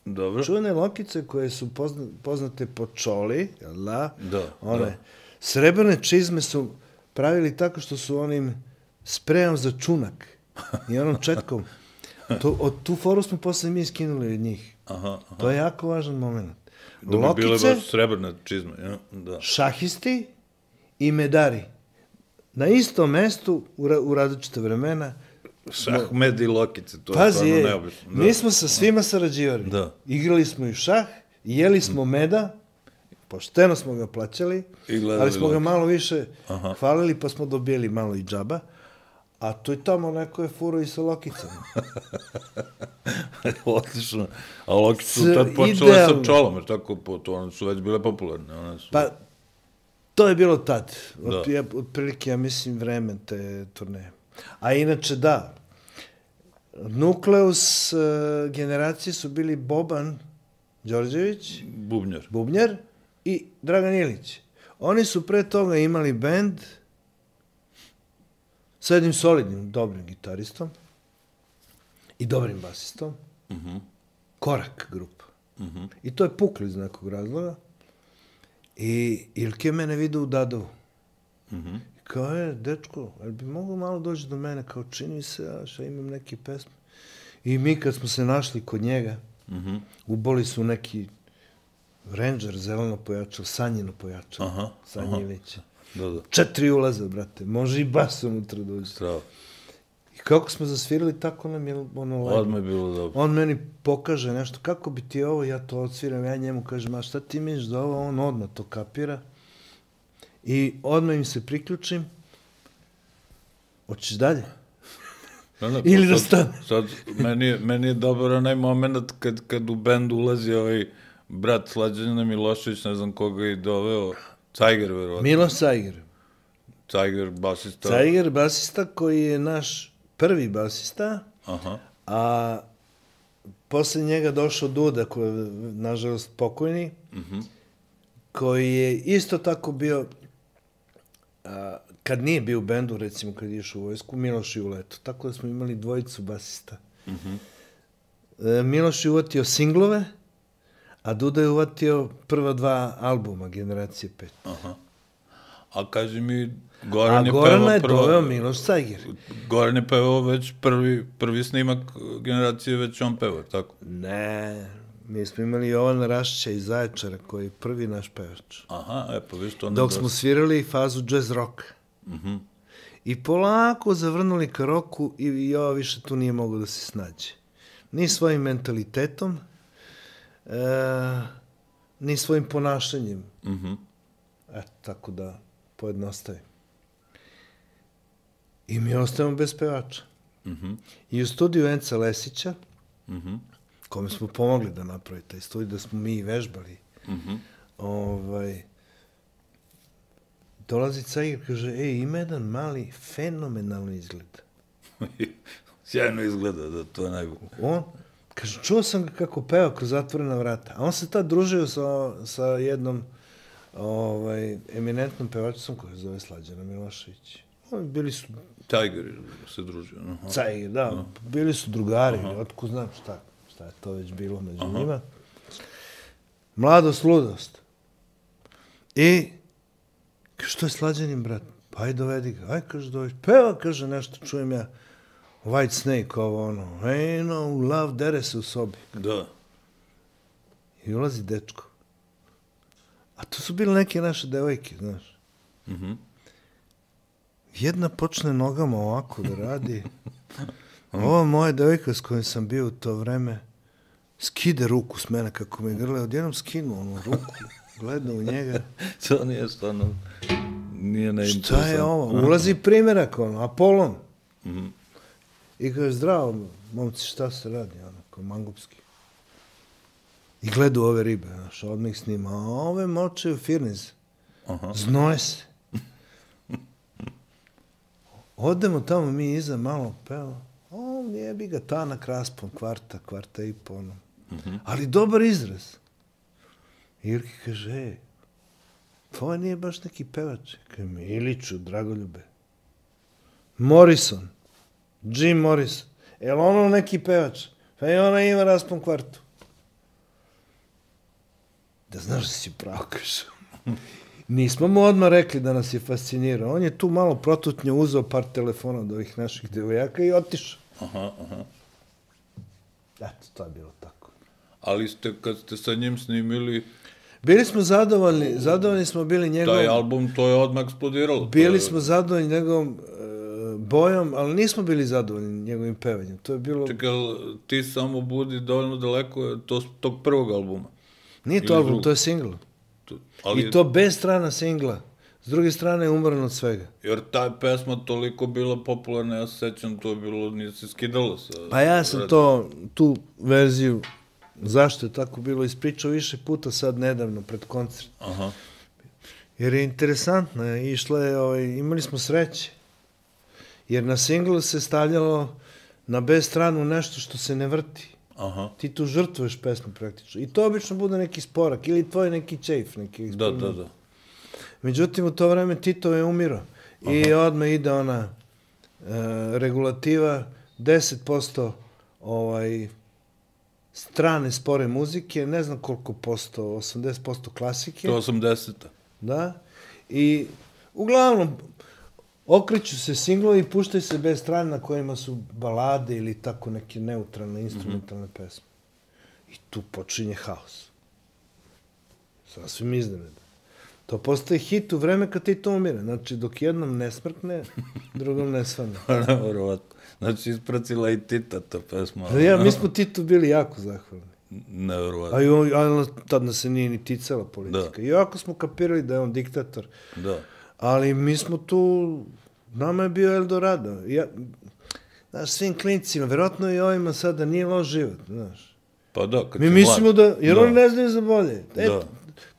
Dobro. čuvene lokice koje su pozna, poznate po čoli, jel da? Da, One da. srebrne čizme su pravili tako što su onim sprejom za čunak i onom četkom. To, od tu foru smo posle mi skinuli od njih. Aha, aha. To je jako važan moment. Da bi bile Lokice, baš srebrne čizme, ja? Da. šahisti i medari. Na istom mestu, u, ra, u različite vremena. Šahmed i lokice, to je Pazi, stvarno je, neobično. Da. mi smo sa svima sarađivali. Da. Igrali smo i šah, jeli smo meda, pošteno smo ga plaćali, I gledali ali smo ga lokice. malo više Aha. hvalili, pa smo dobijeli malo i džaba. A tu i tamo neko je furo i sa lokicama. Odlično. A lokice su S- tad počele idealno. sa čolom, jer tako, po, to one su već bile popularne. One su... Pa, to je bilo tad. Da. Od, ja, otprilike, ja mislim, vreme te turneje. A inače, da. Nukleus uh, generacije su bili Boban Đorđević, Bubnjar. bubnjar, i Dragan Ilić. Oni su pre toga imali bend sa jednim solidnim, dobrim gitaristom i dobrim basistom. Mhm. Korak grupa. Mhm. I to je puklo iz nekog razloga. I Ilke mene vide u Dadovu. Mhm. Kao je, dečko, ali bi mogao malo doći do mene, kao čini mi se, ja šta imam neke pesme. I mi kad smo se našli kod njega, Mhm. uboli su neki Ranger, zeleno pojačalo, sanjino pojačalo. Aha, Sanje aha. Ilića. Da, da. Četiri ulaza, brate. Može i bas unutra dođe. Strava. I kako smo zasvirali, tako nam je ono lepo. Odmah je bilo dobro. On meni pokaže nešto, kako bi ti ovo, ja to odsviram, ja njemu kažem, a šta ti misliš da ovo, on odmah to kapira. I odmah im se priključim. Hoćeš dalje? Da, da, Ili pa da sad- stane. Sad, meni je, meni je dobar onaj moment kad, kad u bend ulazi ovaj brat Slađana Milošević, ne znam koga je doveo, Cajger, verovatno. Miloš Cajger. Cajger, basista. Cajger, basista koji je naš prvi basista, Aha. a posle njega došao Duda, koji je, nažalost, pokojni, Mhm. koji je isto tako bio, a, kad nije bio u bendu, recimo kad je išao u vojsku, Miloš i Uleto. Tako da smo imali dvojicu basista. Mhm. E, Miloš je uvatio singlove, a Duda je uvatio prva dva albuma, Generacije pet. Aha. A kaži mi, Goran A je Gorana pevao je prvo... doveo Miloš Cajger. Goran je pevao već prvi, prvi snimak generacije, već on pevao, tako? Ne, mi smo imali Jovana Rašića iz Zaječara, koji je prvi naš pevač. Aha, e, pa viš to ne... Dok smo svirali fazu jazz rock. Mhm. I polako zavrnuli ka roku i Jova više tu nije mogao da se snađe. Ni svojim mentalitetom, e, ni svojim ponašanjem. Mhm. Eto, tako da pojednostavim. I mi ostajemo bez pevača. Mhm. I u studiju Enca Lesića, Mhm. kome smo pomogli da napravi taj studij, da smo mi vežbali, Mhm. ovaj, dolazi Cajger, kaže, ej, ima jedan mali, fenomenalni izgled. Sjajno izgleda, da, to je najbolje. On, kaže, čuo sam ga kako peva kroz zatvorena vrata. A on se tad družio sa, sa jednom ovaj, eminentnom pevačicom koja se zove Slađana Milošević. Oni bili su... Tiger se družio. Aha. Cajger, da, aha. Bili su drugari, otko znam šta, šta je to već bilo među aha. njima. Mladost, ludost. I, što je Slađanin, brat? Pa aj dovedi ga. Aj, kaže, dovedi. Peva, kaže, nešto, čujem ja. White Snake, ovo ono. Hey, no, love, dere se u sobi. Da. I ulazi dečko. A to su bile neke naše devojke, znaš. Mhm. Jedna počne nogama ovako da radi. Ova moja devojka s kojom sam bio u to vreme skide ruku s mene kako me grle. Odjednom skinu onu ruku. Gleda u njega. To nije stvarno... Nije neinteresantno. Šta je ovo? Ulazi primjerak, ono, Apolon. Mhm. I kaže, zdravo, momci, šta se radi? Ono, kao mangupski. I gledu ove ribe, znaš, odmah ih snima. A ove močaju firniz. Aha. Znoje se. Odemo tamo mi iza, malo peva. O, jebi ga, tanak raspon, kvarta, kvarta i po, ono. Mhm. Ali dobar izraz. Irki kaže, ej, ovo nije baš neki pevač. Kaže, Miliću, Dragoljube. Morrison. Jim Morrison. Je li ono neki pevač? Pa i ona ima raspon kvartu. Da znaš da si pravo, kaže. Nismo mu odmah rekli da nas je fascinirao. On je tu malo protutnje uzeo par telefona od ovih naših devojaka i otišao. Aha, aha. Eto, to je bilo tako. Ali ste, kad ste sa njim snimili... Bili smo zadovoljni, zadovoljni smo bili njegovom... Taj album, to je odmah eksplodiralo. Bili je... smo zadovoljni njegovom uh, bojom, ali nismo bili zadovoljni njegovim pevanjem. To je bilo... Čekaj, ti samo budi dovoljno daleko to, tog prvog albuma. Nije to Ili album, drugog. to je singl. To, ali, I to bez strana singla. S druge strane je umran od svega. Jer ta pesma toliko bila popularna, ja se sećam, to je bilo, nije se skidalo sa... Pa ja sam to, tu verziju, zašto je tako bilo, ispričao više puta sad nedavno, pred koncert. Aha. Jer je interesantno, je, išla je, ovaj, imali smo sreće. Jer na singlu se stavljalo na B stranu nešto što se ne vrti. Aha. Ti tu žrtvuješ pesmu praktično. I to obično bude neki sporak ili tvoj neki čejf. Neki Da, da, da. Međutim, u to vreme Tito je umirao. I odmah ide ona e, regulativa, deset posto ovaj, strane spore muzike, ne znam koliko posto, osamdeset posto klasike. To je osamdeseta. Da. I uglavnom, okreću se singlovi i puštaju se bez strane na kojima su balade ili tako neke neutralne, instrumentalne mm-hmm. pesme. I tu počinje haos. Sasvim iznenada. To postaje hit u vreme kad ti to umire. Znači, dok jednom ne smrkne, drugom ne svane. Nevjerovatno. Znači, ispracila i Tita ta pesma. Ja, mi smo Titu bili jako zahvalni. Nevjerovatno. A i on, a tad nas se nije ni ticala politika. Da. I ovako smo kapirali da je on diktator. Da. Ali mi smo tu, nama je bio Eldorado. Ja, znaš, svim klincima, verovatno i ovima sada nije loš život, znaš. Pa da, kad mi si mislimo mlad. da, jer da. oni ne znaju za bolje. E, Da.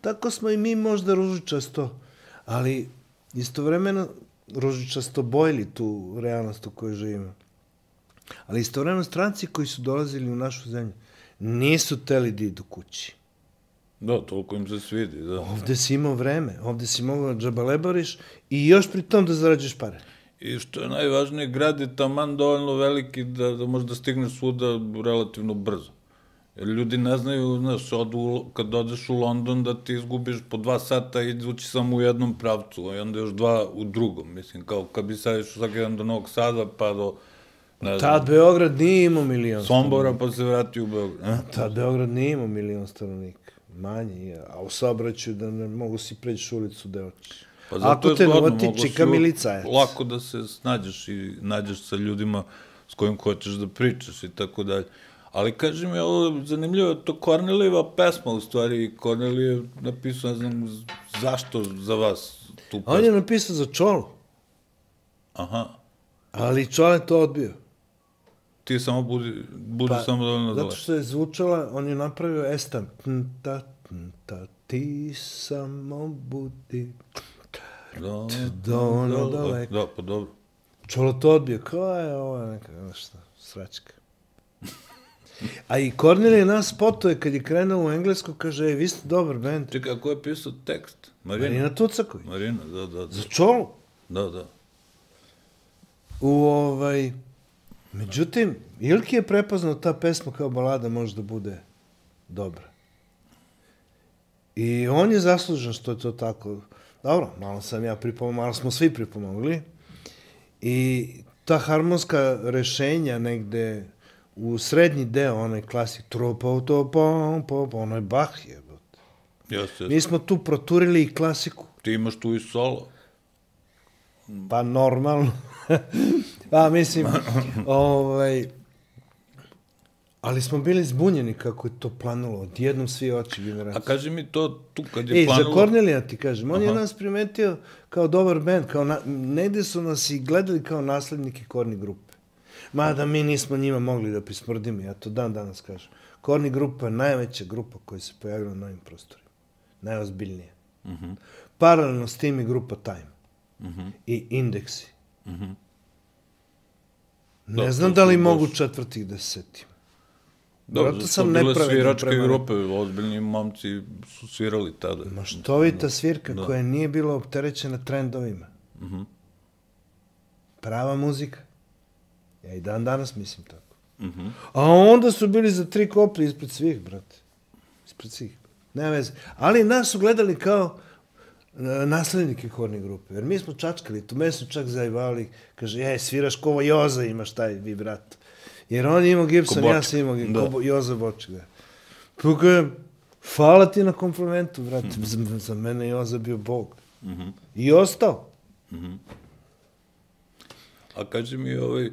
tako smo i mi možda ružičasto, ali istovremeno ružičasto bojili tu realnost u kojoj živimo. Ali istovremeno stranci koji su dolazili u našu zemlju nisu teli da idu kući. Da, toliko im se svidi, da. Ovde si imao vreme, ovde si mogao da džabalebariš i još pri tom da zarađuješ pare. I što je najvažnije, grad je taman dovoljno veliki da, da možeš da stigneš svuda relativno brzo. Jer ljudi ne znaju, znaš, odu, kad odeš u London da ti izgubiš po dva sata idući samo u jednom pravcu, a onda još dva u drugom. Mislim, kao kad bi sad išao svaki dan do Novog Sada, pa do... Tad Beograd nije imao milion Sombora, pa se vrati u Beograd. Tad Beograd nije imao milion stanovnika. Manje, a u saobraćaju da ne mogu si preći ulicu da hoćeš. Pa zato Ako te noti, čika milicajac. Lako da se snađeš i nađeš sa ljudima s kojim hoćeš da pričaš i tako dalje. Ali kaži mi, ovo zanimljivo, to Kornelijeva pesma, u stvari, Kornelij je napisao, ne znam, zašto za vas tu pesmu? On je napisao za Čolu. Aha. Ali Čole to odbio. Ti samo budi, budi pa, samo dovoljno dole. Zato što je zvučala, on je napravio estam. Ta, ta, ti samo budi dovoljno daleko. Da, pa dobro. Čolo to odbio, kao je ovo neka, šta, sračka. A i Kornelije nas spotuje kad je krenuo u englesku, kaže, ej, vi ste dobar bend. Čekaj, ko je pisao tekst? Marina? Marina Tucaković. Marina, da, da, da. Za Čolu. Da, da. U ovaj... Međutim, Ilki je prepoznao ta pesma kao balada može da bude dobra. I on je zaslužen što je to tako. Dobro, malo sam ja pripomogao, malo smo svi pripomogli. I ta harmonska rešenja negde u srednji deo, onaj klasik, tropo, to, pom, pom, onaj Bach je. Jeste. Mi smo tu proturili i klasiku. Ti imaš tu i solo. Pa normalno. Pa mislim, ovaj, ali smo bili zbunjeni kako je to planulo. Odjednom svi oči generacije. A kaži mi to tu kad je Ej, planulo... za Kornelija ti kažem, on Aha. je nas primetio kao dobar bend, kao na, negde su nas i gledali kao naslednike Korni grupe. Mada mi nismo njima mogli da pismrdimo, ja to dan danas kažem. Korni grupa je najveća grupa koja se pojavila na ovim prostorima. Najozbiljnije. Uh-huh. Paralelno s tim i grupa Time. Uh-huh. I Indeksi. Uh-huh. Ne Da, znam to da li su mogu baš- četvrtih da se setim. Da, Vjerojatno zato sam su bile nepravedan sviračke prema grupe, ozbiljni momci su svirali tada. Maštovita svirka Da. koja nije bila opterećena trendovima. Mhm. Prava muzika. Ja i dan danas mislim tako. Mhm. A onda su bili za tri koplje ispred svih, brate. Ispred svih. Nema veze. Ali nas su gledali kao e, naslednike Korni grupe. Jer mi smo čačkali, tu me su čak zajebali. Kaže, ej, sviraš ko Joza imaš taj vibrato. Jer on je imao Gibson, Ko ja Boček. sam imao Da. ko Bo- Joza Boček. Da. Pa kažem, hvala ti na komplimentu, brate. Mhm. Za, za mene je Joza bio bog. Mhm. I ostao. A kaži mi, ovaj... e,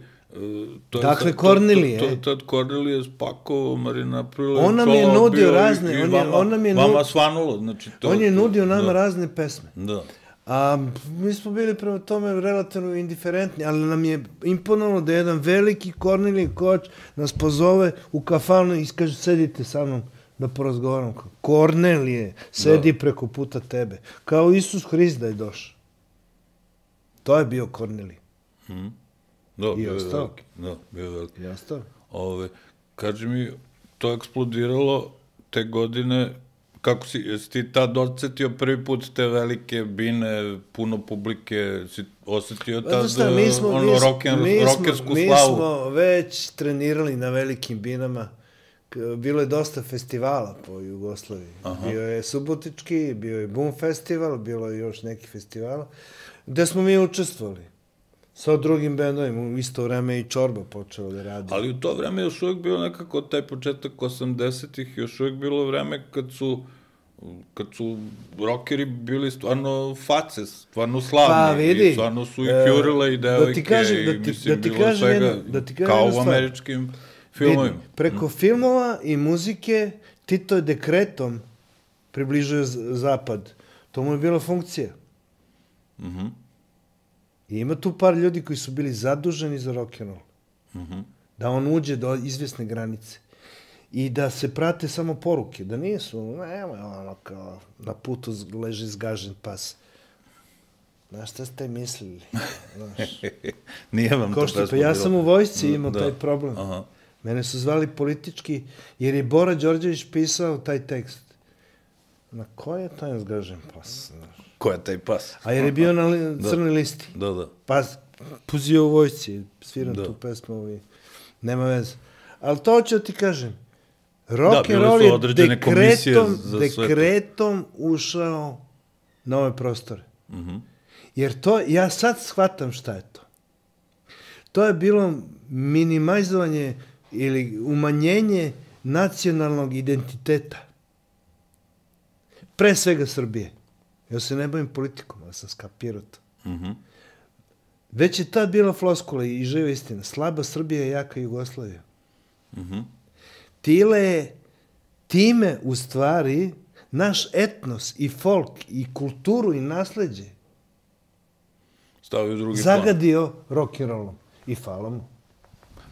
To je Dakle, sad- to- Kornelije, To, to, e. to, tad Kornelije spakovao, Marina napravila... On nam je solo, nudio bio i- razne, i on je- vama, on nam je nu- Vama svanulo, znači to... On je to- nudio nama da, razne pesme. Da. A mi smo bili prema tome relativno indiferentni, ali nam je imponovalo da jedan veliki Kornelij Koč nas pozove u kafanu i kaže, sedite sa mnom da porazgovaram. Kornelije, sedi Da. preko puta tebe. Kao Isus Hrist da je došao. To je bio Kornelij. Mhm. Da, bio je ostao. veliki. Da, bio je veliki. I ostao. Ove, kaži mi, to je eksplodiralo te godine, kako si, jesi ti tad osetio prvi put te velike bine, puno publike, si osetio Pa tad znaš šta, mi smo, ono mi, smo- rocken, mi, rockersku smo, mi slavu? smo već trenirali na velikim binama. K- Bilo je dosta festivala po Jugoslaviji. Aha. Bio je Subotički, bio je Boom festival, bilo je još neki festivala, gde smo mi učestvovali. Sa drugim bendovima, u isto vreme i Čorba počeo da radi. Ali u to vreme još uvijek bilo nekako taj početak osamdesetih, još uvijek bilo vreme kad su kad su rockeri bili stvarno face, stvarno slavni. Pa, vidi, I stvarno su i e, fjurile i devojke da ti kažem- da i ti- mislim da ti bilo kažem svega jednu- da ti kažem kao jednu u stvar. američkim filmovima. Vidi, preko filmova i muzike Tito je dekretom približio z- zapad. To mu je bila funkcija. Mhm. I ima tu par ljudi koji su bili zaduženi za rock'n'roll. Mhm. Da on uđe do izvjesne granice. I da se prate samo poruke. Da nisu, nema ono kao na putu z- leži zgažen pas. Znaš šta ste mislili? Znaš. Nije vam Ko to što, pa pesma ja bila? sam u vojsci imao Da. taj problem. Aha. Mene su zvali politički, jer je Bora Đorđević pisao taj tekst. Na koji je taj zgažen pas? Znaš? Ko je taj pas? A jer je bio na li, crnoj listi. Da, da. Pa puzio u vojsci, sviram Da. tu pesmu i nema veze. Ali to hoću da ti kažem. Rock and roll je dekretom, dekretom ušao na ove prostore. Mm-hmm. Jer to, ja sad shvatam šta je to. To je bilo minimizovanje ili umanjenje nacionalnog identiteta. Pre svega Srbije. Ja se ne bavim politikom, ali sam skapirao to. Mm-hmm. Već je tad bila floskula i živa istina. Slaba Srbija je jaka Jugoslavija. Mm-hmm. Tile, time u stvari naš etnos i folk i kulturu i nasleđe stavio drugi zagadio plan. Rock and rollom i hvala mu.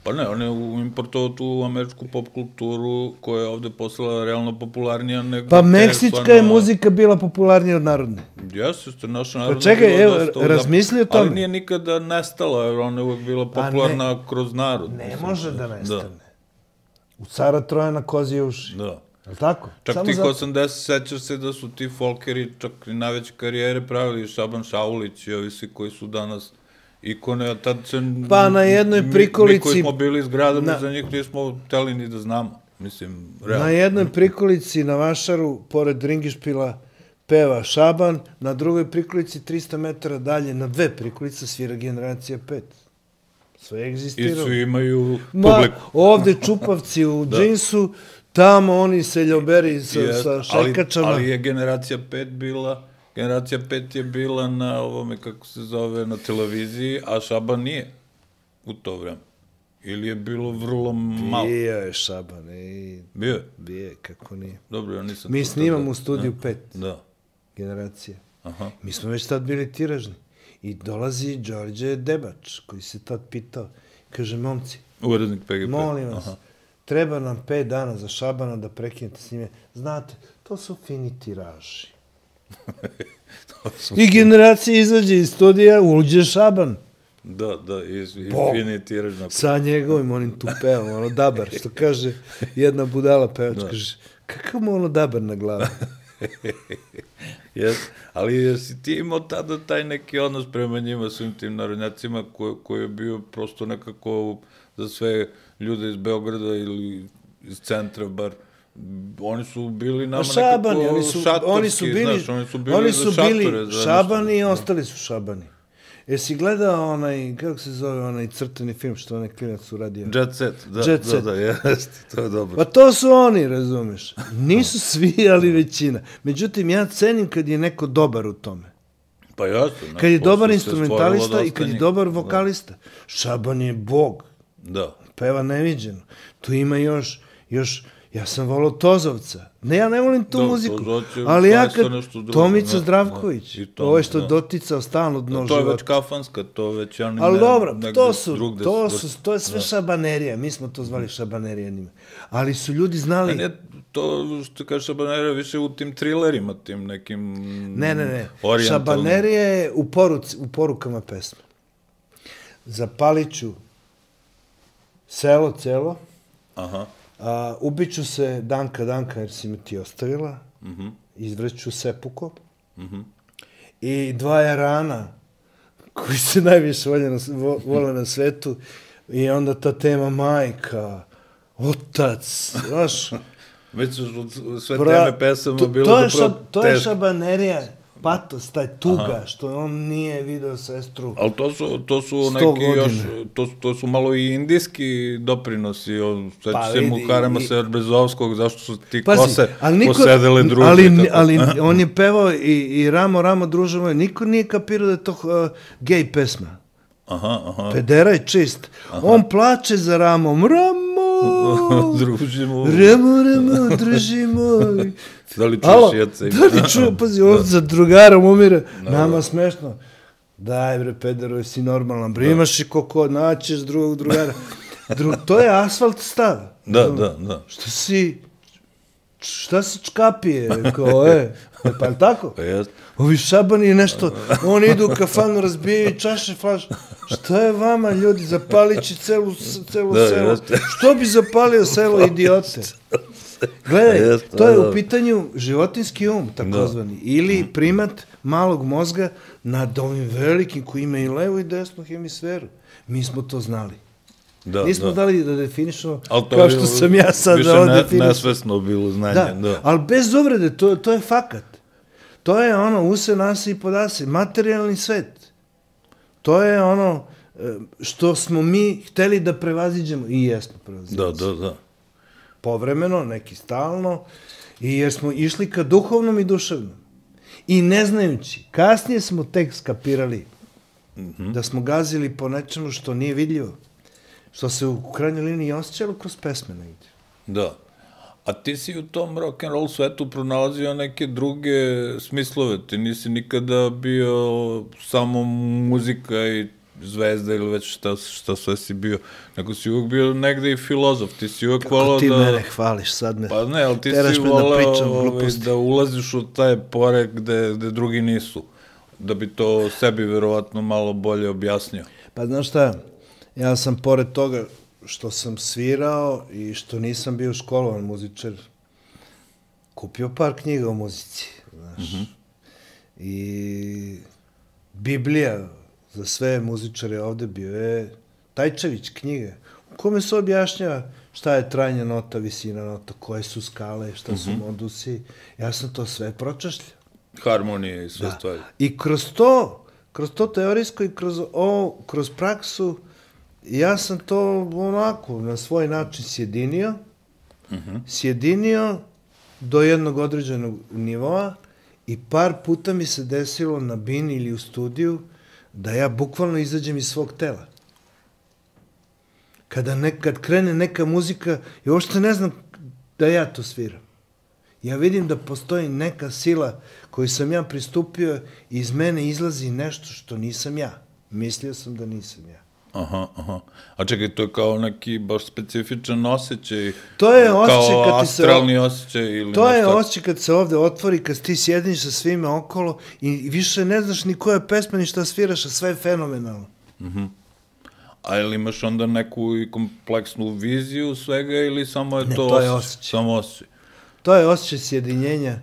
Pa ne, on je importovao tu američku pop kulturu koja je ovde postala realno popularnija nego... Pa meksička je muzika bila popularnija od narodne. Jeste, što naša narodna... Pa čekaj, evo, razmisli o tome. Ali nije nikada nestala, jer ona je uvek bila popularna ne, kroz narod. Ne mislim, može da nestane. Da. U cara Trojana kozije uši. Da. Je li tako? Čak Samo tih zato... osamdeset sećaš se da su ti folkeri čak i najveće karijere pravili, Šaban Šaulić i ovi svi koji su danas ikone, a tad se... Pa na jednoj prikolici... Mi koji smo bili s gradom, na... za njih nismo hteli ni da znamo. Mislim, realno. Na jednoj prikolici na Vašaru, pored Ringišpila, peva Šaban, na drugoj prikolici trista metara dalje, na dve prikolice svira Generacija pet. Sve egzistiralo. I svi imaju publiku. Ma, ovde čupavci u da. džinsu, tamo oni seljoberi sa, yes, sa šajkačama. Ali, ali je Generacija pet bila... Generacija pet je bila na ovome, kako se zove, na televiziji, a Šaban nije u to vreme. Ili je bilo vrlo malo. Bio je Šaban. I... Bio je? Bio je, kako nije. Dobro, ja nisam... Mi snimamo u studiju ne? pet. Da. Generacije. Aha. Mi smo već tad bili tiražni. I dolazi Đorđe Debač, koji se tad pitao. Kaže, momci, urednik P G P. Molim vas, aha, treba nam pet dana za Šabana da prekinete s njime. Znate, to su fini tiraži. I Generacija izađe iz studija, uđe Šaban. Da, da, i fini tiraž. Sa njegovim onim tu pevom, ono dabar, što kaže jedna budala pevač, da. Kaže, kakav mu ono dabar na glavi? Yes. Ali jesi ti imao tada taj neki odnos prema njima, svim tim narodnjacima, koji, koji je bio prosto nekako za sve ljude iz Beograda ili iz centra, bar oni su bili nama šabani, nekako oni su, šatorski, oni su bili, znaš, oni su bili oni su za bili šatore. Za šabani nešto. I ostali su šabani. Jesi gledao onaj, kako se zove, onaj crtani film što onaj klinac uradio? Jet Set, da, Jet da, Set. da, jeste, to je dobro. Pa to su oni, razumeš. Nisu svi, ali većina. Međutim, ja cenim kad je neko dobar u tome. Pa jasno. Kad je dobar instrumentalista i kad je dobar vokalista. Da. Šaban je bog. Da. Peva neviđeno. Tu ima još, još, ja sam volao Tozovca. Ne, ja ne volim tu da, muziku. Ali ja kad, Tomica Zdravković, ovo je što da. doticao stalno dno života. To je već kafanska, to već ja ne... Ali dobro, to su, to su, to je sve da. šabanerija. Mi smo to zvali šabanerija njima. Ali su ljudi znali... Ne, to što kaže šabanerija više u tim trilerima, tim nekim... Ne, ne, ne. Šabanerija je u, poruci, u porukama pesme. Zapaliću selo, celo. Aha. A, ubiću se Danka, Danka, jer si mi ti ostavila. Mm-hmm. Izvreću Sepuko. Mm-hmm. I dva jarana, koji se najviše vole na, vole na svetu. I onda ta tema majka, otac, znaš. Već su sve Bra, teme pesama to, bilo to zapravo teško. To je šabanerija. Patos, taj tuga, aha, što on nije video sestru. Ali to su, to su neki godine. Još, to, to su malo i indijski doprinosi, sveći pa, se Muharema Serbezovskog, zašto su ti pazi, kose niko, posedele druže. Ali, ali on je pevao i, i Ramo, Ramo, druže moje, niko nije kapirao da je to uh, gej pesma. Aha, aha. Pedera je čist. Aha. On plače za Ramom, Ramo! Družimo. Ramo, Ramo, družimo. Da li čuješ jeca? Da li čuju, pazi, on za drugarom umire. No. Nama smešno. Daj bre, pedero, jesi normalan. Bre, imaš i koko, naćeš drugog drugara. Dru, to je asfalt stav. Da, da, da. Šta si, šta si čkapije? Kao, e, pa je tako? Pa jest. Ovi šabani nešto, oni idu u kafanu, razbijaju čaše, flaš. Šta je vama, ljudi, zapalit će celu, celu da, selo. Jeste. Što bi zapalio selo, idiote? Gledaj, jeste, to je da. U pitanju životinski um, takozvani, ili primat malog mozga nad ovim velikim koji ima i levu i desnu hemisferu. Mi smo to znali. Da, Nismo da. dali da definišemo Ali to kao je što sam ja sad više da ovo ne, definišem. nesvesno bilo znanje. Da, Da. ali bez uvrede, to, to je fakat. To je ono, use nasi i podasi, materijalni svet. To je ono e, što smo mi hteli da prevaziđemo i jesmo prevaziđemo. Da, da, da. Povremeno, neki stalno, i jer smo išli ka duhovnom i duševnom. I ne znajući, kasnije smo tek skapirali Mhm. da smo gazili po nečemu što nije vidljivo, što se u krajnjoj liniji osjećalo kroz pesme negdje. Da. A ti si u tom rock and roll svetu pronalazio neke druge smislove. Ti nisi nikada bio samo muzika i zvezda ili već šta, šta sve si bio. Nego si uvijek bio negde i filozof. Ti si uvijek Kako volao ti da... mene hvališ, sad me Pa ne, ali ti teraš si me da volao pričam ovaj, gluposti. da ulaziš u taj pore gde, gde drugi nisu. Da bi to sebi verovatno malo bolje objasnio. Pa znaš šta, ja sam pored toga što sam svirao i što nisam bio školovan muzičar, kupio par knjiga o muzici, znaš. Mhm. I Biblija za sve muzičare ovde bio je Tajčević knjiga, u kome se objašnjava šta je trajna nota, visina nota, koje su skale, šta su modusi. Ja sam to sve pročašljao. Harmonije i sve Da. stvari. I kroz to, kroz to teorijsko i kroz ovo, kroz praksu, ja sam to onako na svoj način sjedinio, Mhm. sjedinio do jednog određenog nivoa i par puta mi se desilo na bini ili u studiju da ja bukvalno izađem iz svog tela. Kada ne, kad krene neka muzika, ja uopšte ne znam da ja to sviram. Ja vidim da postoji neka sila koju sam ja pristupio i iz mene izlazi nešto što nisam ja. Mislio sam da nisam ja. Aha, aha. A čekaj, to je kao neki baš specifičan osjećaj. To je osjećaj kao kad ti se... astralni osjećaj ili To je nešto. osjećaj kad se ovde otvori, kad ti sjediniš sa svime okolo i više ne znaš ni koja je pesma, ni šta sviraš, a sve je fenomenalno. A ili imaš onda neku i kompleksnu viziju svega ili samo je Ne, to, to je osjećaj? osjećaj. Samo osjećaj. To je osjećaj sjedinjenja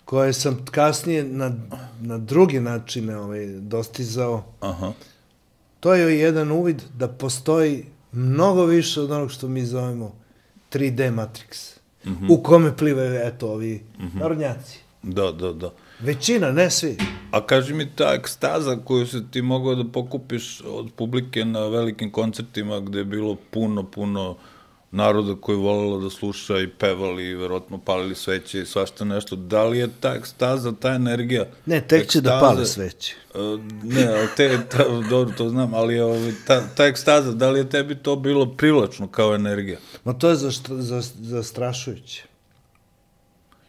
koje sam kasnije na, na drugi načine ovaj, dostizao. Aha. To je jedan uvid da postoji mnogo više od onog što mi zovemo tri D Matrix, u kome plivaju, eto, ovi narodnjaci. Da, da, da. Većina, ne svi. A kaži mi, ta ekstaza koju se ti mogao da pokupiš od publike na velikim koncertima gde je bilo puno, puno naroda koji je volelo da sluša i pevali i verovatno palili sveće i svašta nešto, da li je ta ekstaza, ta energija? Ne, tek će da ekstaze- pale sveće. Uh, ne, ali te, ta, dobro, to znam, ali ovaj, ta, ta ekstaza, da li je tebi to bilo privlačno kao energija? Ma to je zaštra, za, zastrašujuće.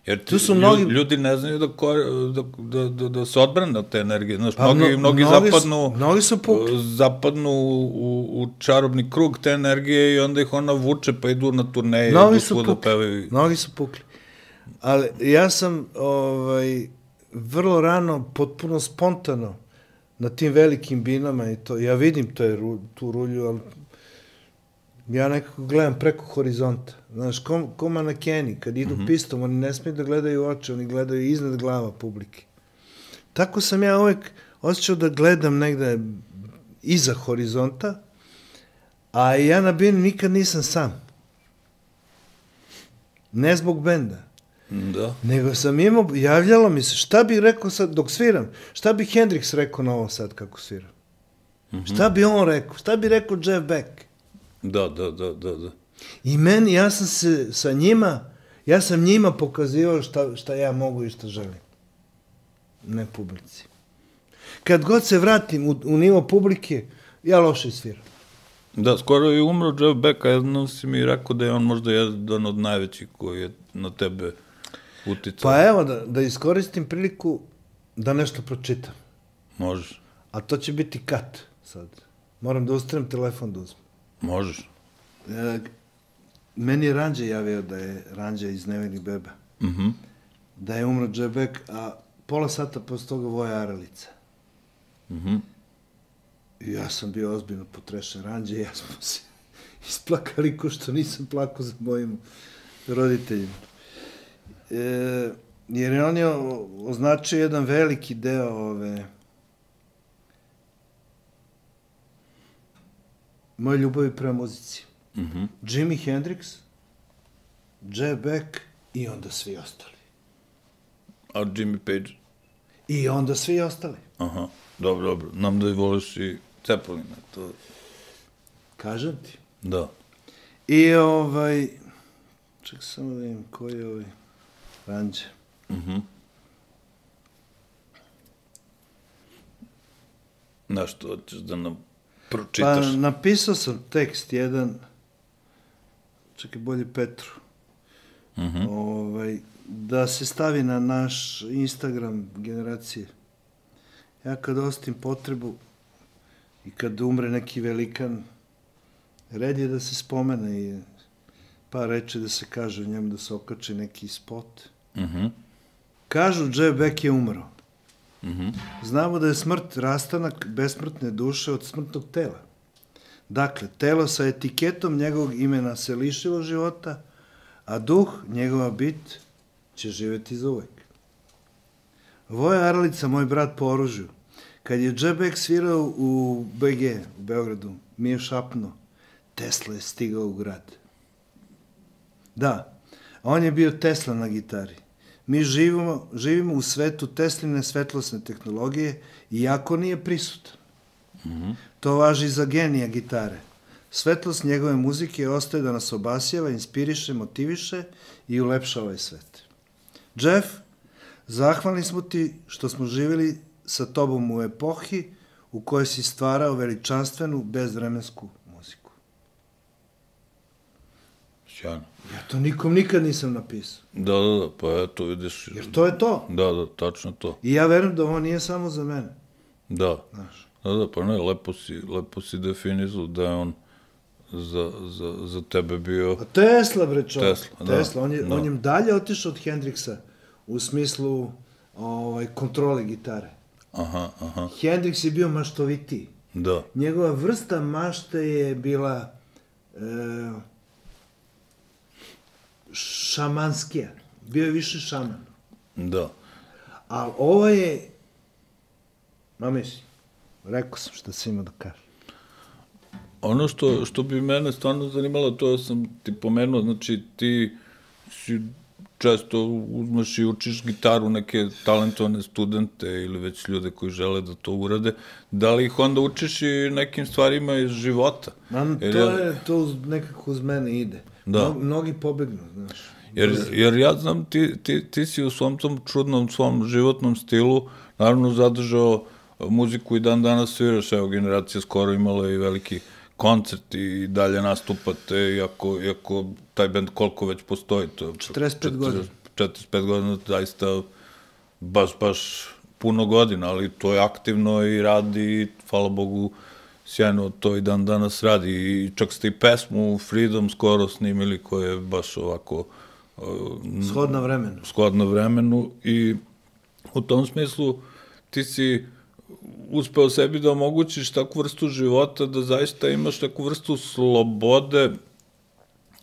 Jer ti, Tu su ljudi, mnogi- ljudi ne znaju da, kore, da, da, da, da se odbrane od te energije. Znaš, Pa mnogi, mno- mnogi, mnogi su- zapadnu, mnogi su pukli. uh, zapadnu u, u čarobni krug te energije i onda ih ona vuče pa idu na turneje, Mnogi idu su svuda pukli. pevaju. Mnogi su pukli. Ali ja sam ovaj, vrlo rano, potpuno spontano, na tim velikim binama i to, ja vidim to je, ru- tu rulju, ali ja nekako gledam preko horizonta. Znaš, ko, ko manekeni, kad idu Mhm. pistom, oni ne smiju da gledaju u oči, oni gledaju iznad glava publike. Tako sam ja uvek osjećao da gledam negde iza horizonta, a ja na bini nikad nisam sam. Ne zbog benda, Da. nego sam imao, javljalo mi se, šta bih rekao sad, dok sviram, šta bi Hendrix rekao na ovo sad kako sviram? Šta bi on rekao? Šta bi rekao Jeff Beck? Da, da, da, da, da. I meni, ja sam se sa njima, ja sam njima pokazivao šta, šta ja mogu i šta želim. Ne publici. Kad god se vratim u, u nivo publike, ja loše sviram. Da, skoro je umro Jeff Beck, a jednom si mi rekao da je on možda jedan od najvećih koji je na tebe uticao. Pa evo, da, da iskoristim priliku da nešto pročitam. Možeš, A to će biti kat sad. Moram da ustanem telefon da uzmem. možeš. E, meni je Ranđe javio da je Ranđe iz Nevinih beba. Mhm. Da je umro Jeff Beck, a pola sata posle toga Voja Aralica. Mhm. I ja sam bio ozbiljno potrešen. Ranđe i ja smo se isplakali ko što nisam plakao za mojim roditeljima. E, jer je on je o- označio jedan veliki deo ove moje ljubavi prema muzici. Mhm. Jimi Hendrix, Jeff Beck i onda svi ostali. A Jimmy Page? I onda svi ostali. Aha, dobro, dobro. Nam da i voliš i Cepelina, to... Kažem ti. Da. I ovaj... Ček samo da vidim koji je ovaj... Ranđe. Mhm. Nešto hoćeš da nam pročitaš? Pa napisao sam tekst jedan, čekaj, bolje Petru, Mhm. ovaj, da se stavi na naš Instagram generacije. Ja kad ostim potrebu i kad umre neki velikan, red je da se spomene i par reči da se kaže o njemu, da se okači neki spot. Mhm. Kažu, Jeff Beck je umro. Mhm. Znamo da je smrt rastanak besmrtne duše od smrtnog tela. Dakle, telo sa etiketom njegovog imena se lišilo života, a duh, njegova bit, će živeti za uvek. Voja Aralica, moj brat po oružju, kad je Jeff Beck svirao u B G, u Beogradu, mi je šapnuo, Tesla je stigao u grad. Da, on je bio Tesla na gitari. Mi živimo, živimo u svetu Tesline svetlosne tehnologije, iako nije prisutan. Mhm. To važi za genija gitare. Svetlost njegove muzike ostaje da nas obasjava, inspiriše, motiviše i ulepša ovaj svet. Jeff, zahvalni smo ti što smo živjeli sa tobom u epohi u kojoj si stvarao veličanstvenu, bezvremensku muziku. Sjajno. Ja to nikom nikad nisam napisao. Da, da, da, pa eto, vidiš... Jer to je to. Da, da, tačno to. I ja verujem da ovo nije samo za mene. Da. Znaš. Da, da, pa ne, lepo si, lepo si definizao da je on za, za, za tebe bio... A Tesla, bre, čovjek. Tesla, da, Tesla. On je, da. on je dalje otišao od Hendrixa u smislu ovaj, kontrole gitare. Aha, aha, Hendrix je bio maštovitiji. da. Njegova vrsta mašte je bila e, šamanskija. Bio je više šaman. Da. A ovo je... Ma mislim, rekao sam šta si imao da kažem. Ono što, što bi mene stvarno zanimalo, to sam ti pomenuo, znači ti si često uzmaš i učiš gitaru neke talentovane studente ili već ljude koji žele da to urade, da li ih onda učiš i nekim stvarima iz života? Man, Jer to ja- je, to uz, nekako uz mene ide. Da. Mno, mnogi pobegnu, znaš. Jer, jer ja znam, ti, ti, ti si u svom tom čudnom svom životnom stilu naravno zadržao muziku i dan danas sviraš, evo, generacija skoro imala i veliki koncert i dalje nastupate, iako, iako taj band koliko već postoji, to je četrdeset pet godina. četrdeset pet godina, zaista baš, baš puno godina, ali to je aktivno i radi, hvala Bogu, sjajno to i dan danas radi. I čak ste i pesmu Freedom skoro snimili, koja je baš ovako uh, Shodna vremenu. shodno vremenu i u tom smislu ti si uspeo sebi da omogućiš takvu vrstu života, da zaista imaš takvu vrstu slobode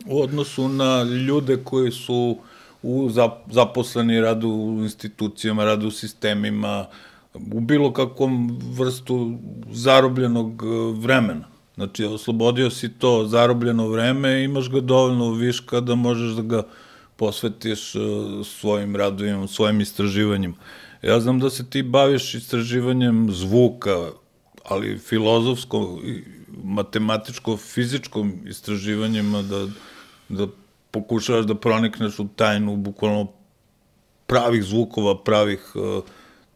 u odnosu na ljude koji su u zaposleni, radu u institucijama, radu u sistemima, u bilo kakvom vrstu zarobljenog vremena. Znači, oslobodio si to zarobljeno vreme, imaš ga dovoljno viška da možeš da ga posvetiš svojim radovima, svojim istraživanjima. Ja znam da se ti baviš istraživanjem zvuka, ali filozofsko, matematičko, fizičkom istraživanjima, da, da pokušavaš da pronikneš u tajnu bukvalno pravih zvukova, pravih uh,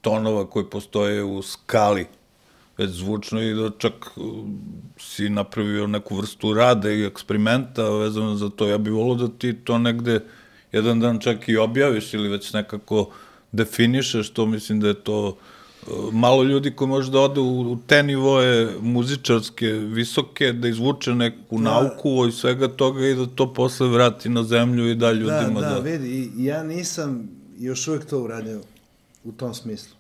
tonova koji postoje u skali već zvučno i da čak uh, si napravio neku vrstu rada i eksperimenta vezano za to. Ja bih volio da ti to negde jedan dan čak i objaviš ili već nekako definišeš to, mislim da je to uh, malo ljudi koji može da ode u, u te nivoje muzičarske, visoke, da izvuče neku Da. nauku od svega toga i da to posle vrati na zemlju i da ljudima Da, da... da, vidi, i ja nisam još uvek to uradio u tom smislu.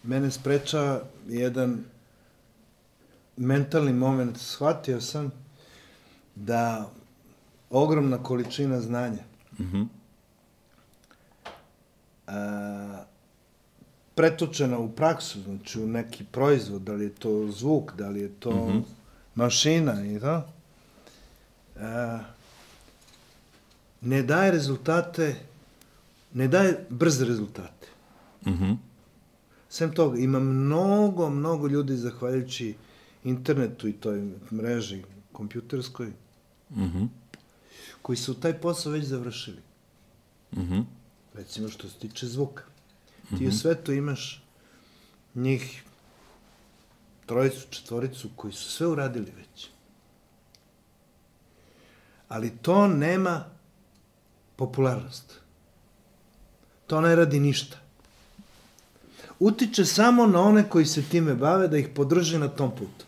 Mene spreča jedan mentalni moment. Shvatio sam da ogromna količina znanja Mhm. a, pretočena u praksu, znači u neki proizvod, da li je to zvuk, da li je to mm-hmm. mašina i to, a, ne daje rezultate, ne daje brze rezultate. Mm-hmm. Sem toga, ima mnogo, mnogo ljudi, zahvaljujući internetu i toj mreži kompjuterskoj, mm-hmm. koji su taj posao već završili. Mm-hmm. Recimo što se tiče zvuka. Mm-hmm. Ti u svetu imaš njih trojicu, četvoricu koji su sve uradili već. Ali to nema popularnost. To ne radi ništa. Utiče samo na one koji se time bave da ih podrži na tom putu.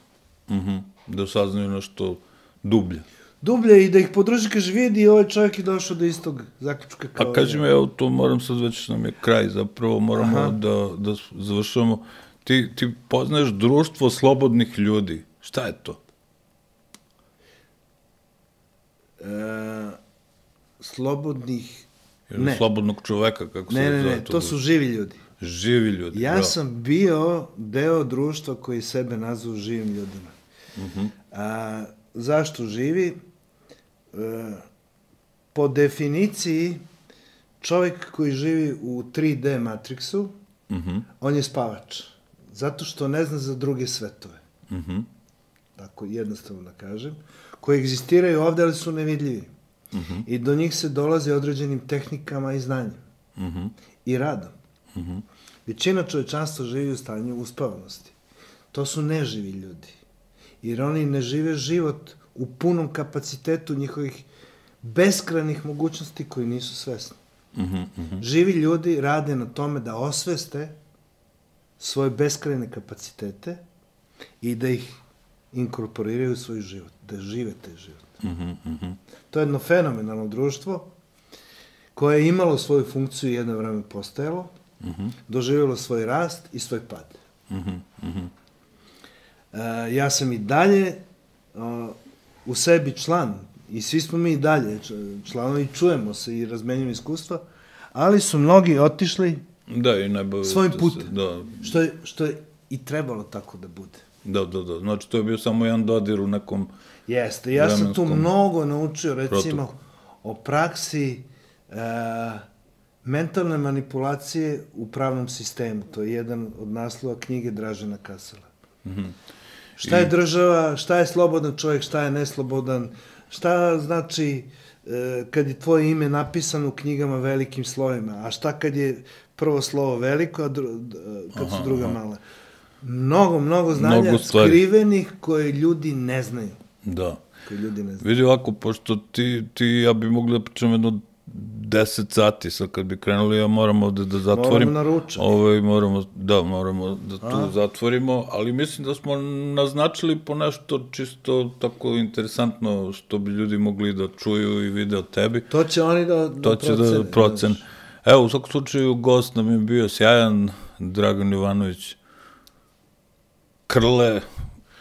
Mm-hmm. Da saznaju nešto dublje. Dublje i da ih podrži, kaže, vidi, ovaj čovjek je došao do istog zaključka kao... A kaži mi, evo, to moram sad, već nam je kraj, zapravo moramo da, da završamo. Ti, ti poznaješ društvo slobodnih ljudi. Šta je to? E, slobodnih... Ili ne. Slobodnog čoveka, kako ne, se ne, zove ne, to? to su živi ljudi. Živi ljudi. Ja da. sam bio deo društva koji sebe nazvao živim ljudima. Uh-huh. A, zašto živi? E, po definiciji, čovjek koji živi u tri D matriksu, uh-huh. on je spavač. Zato što ne zna za druge svetove. Uh-huh. Tako jednostavno da kažem. Koji egzistiraju ovde, ali su nevidljivi. Uh-huh. I do njih se dolazi određenim tehnikama i znanjem. Uh-huh. I radom. Uh-huh. Većina čovječanstva živi u stanju uspavanosti. To su neživi ljudi. Jer oni ne žive život u punom kapacitetu njihovih beskrajnih mogućnosti koji nisu svesni. Uh-huh. Uh-huh. Živi ljudi rade na tome da osveste svoje beskrajne kapacitete i da ih inkorporiraju u svoj život, da žive taj život. Uh-huh. Uh-huh. To je jedno fenomenalno društvo koje je imalo svoju funkciju i jedno vreme postojalo, uh-huh. doživjelo svoj rast i svoj pad. Uh-huh. Uh-huh. Uh, ja sam i dalje uh, u sebi član i svi smo mi i dalje članovi, čujemo se i razmenjujemo iskustva, ali su mnogi otišli da, i ne svojim putem, da. Što, je, što je i trebalo tako da bude. Da, da, da. Znači, to je bio samo jedan dodir u nekom... Jeste, ja sam tu mnogo naučio, recimo, protoku. O praksi e, mentalne manipulacije u pravnom sistemu. To je jedan od naslova knjige Dražena Kasela. Mm-hmm. Šta je država, šta je slobodan čovjek, šta je neslobodan, šta znači e, kad je tvoje ime napisano u knjigama velikim slovima, a šta kad je prvo slovo veliko, a dru, kad aha, su druga aha. mala. Mnogo, mnogo znanja mnogo skrivenih koje ljudi ne znaju. Da. Koji ljudi ne znaju. Vidi ovako, pošto ti, ti ja bi mogli da pričam jedno deset sati, sad kad bi krenuli, ja moramo da, da zatvorim. Moramo na ručak. Ovaj, moramo, da, moramo da tu a? zatvorimo, ali mislim da smo naznačili po nešto čisto tako interesantno što bi ljudi mogli da čuju i vide od tebi. To će oni da, da to će procene. Da procen. Evo, u svakom slučaju, gost nam je bio sjajan, Dragan Jovanović Krle,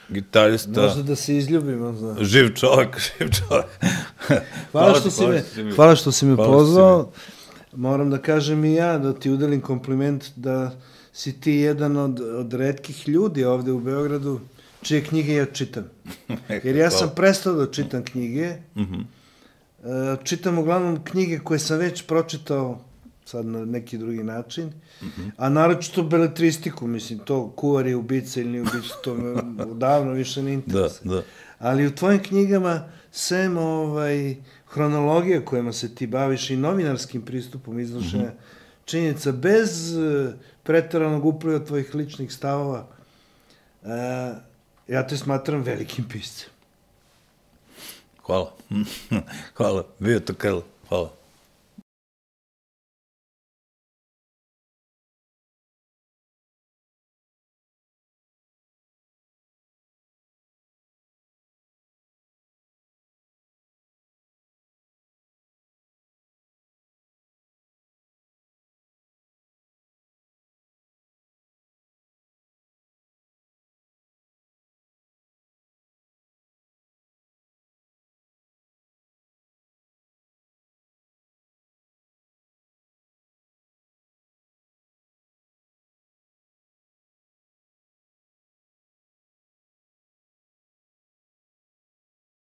gitarista. Možda da se izljubimo. Zna. Živ čovjek, živ čovjek. hvala, hvala, što si me, hvala što si me pozvao. Moram da kažem i ja, da ti udelim kompliment da si ti jedan od, od retkih ljudi ovde u Beogradu čije knjige ja čitam. Jer ja sam prestao da čitam knjige. Mm-hmm. Čitam uglavnom knjige koje sam već pročitao sad na neki drugi način, mm-hmm. a naročito beletristiku, mislim, to kuvar je ubica ili nije ubica, to me davno više ne interesuje. Da, da. Ali u tvojim knjigama, sem ovaj, hronologija kojima se ti baviš i novinarskim pristupom iznošenja mm-hmm. činjenica, bez uh, preteranog upliva tvojih ličnih stavova, uh, ja te smatram velikim piscem. Hvala. Hvala. Bio to Krle. Hvala.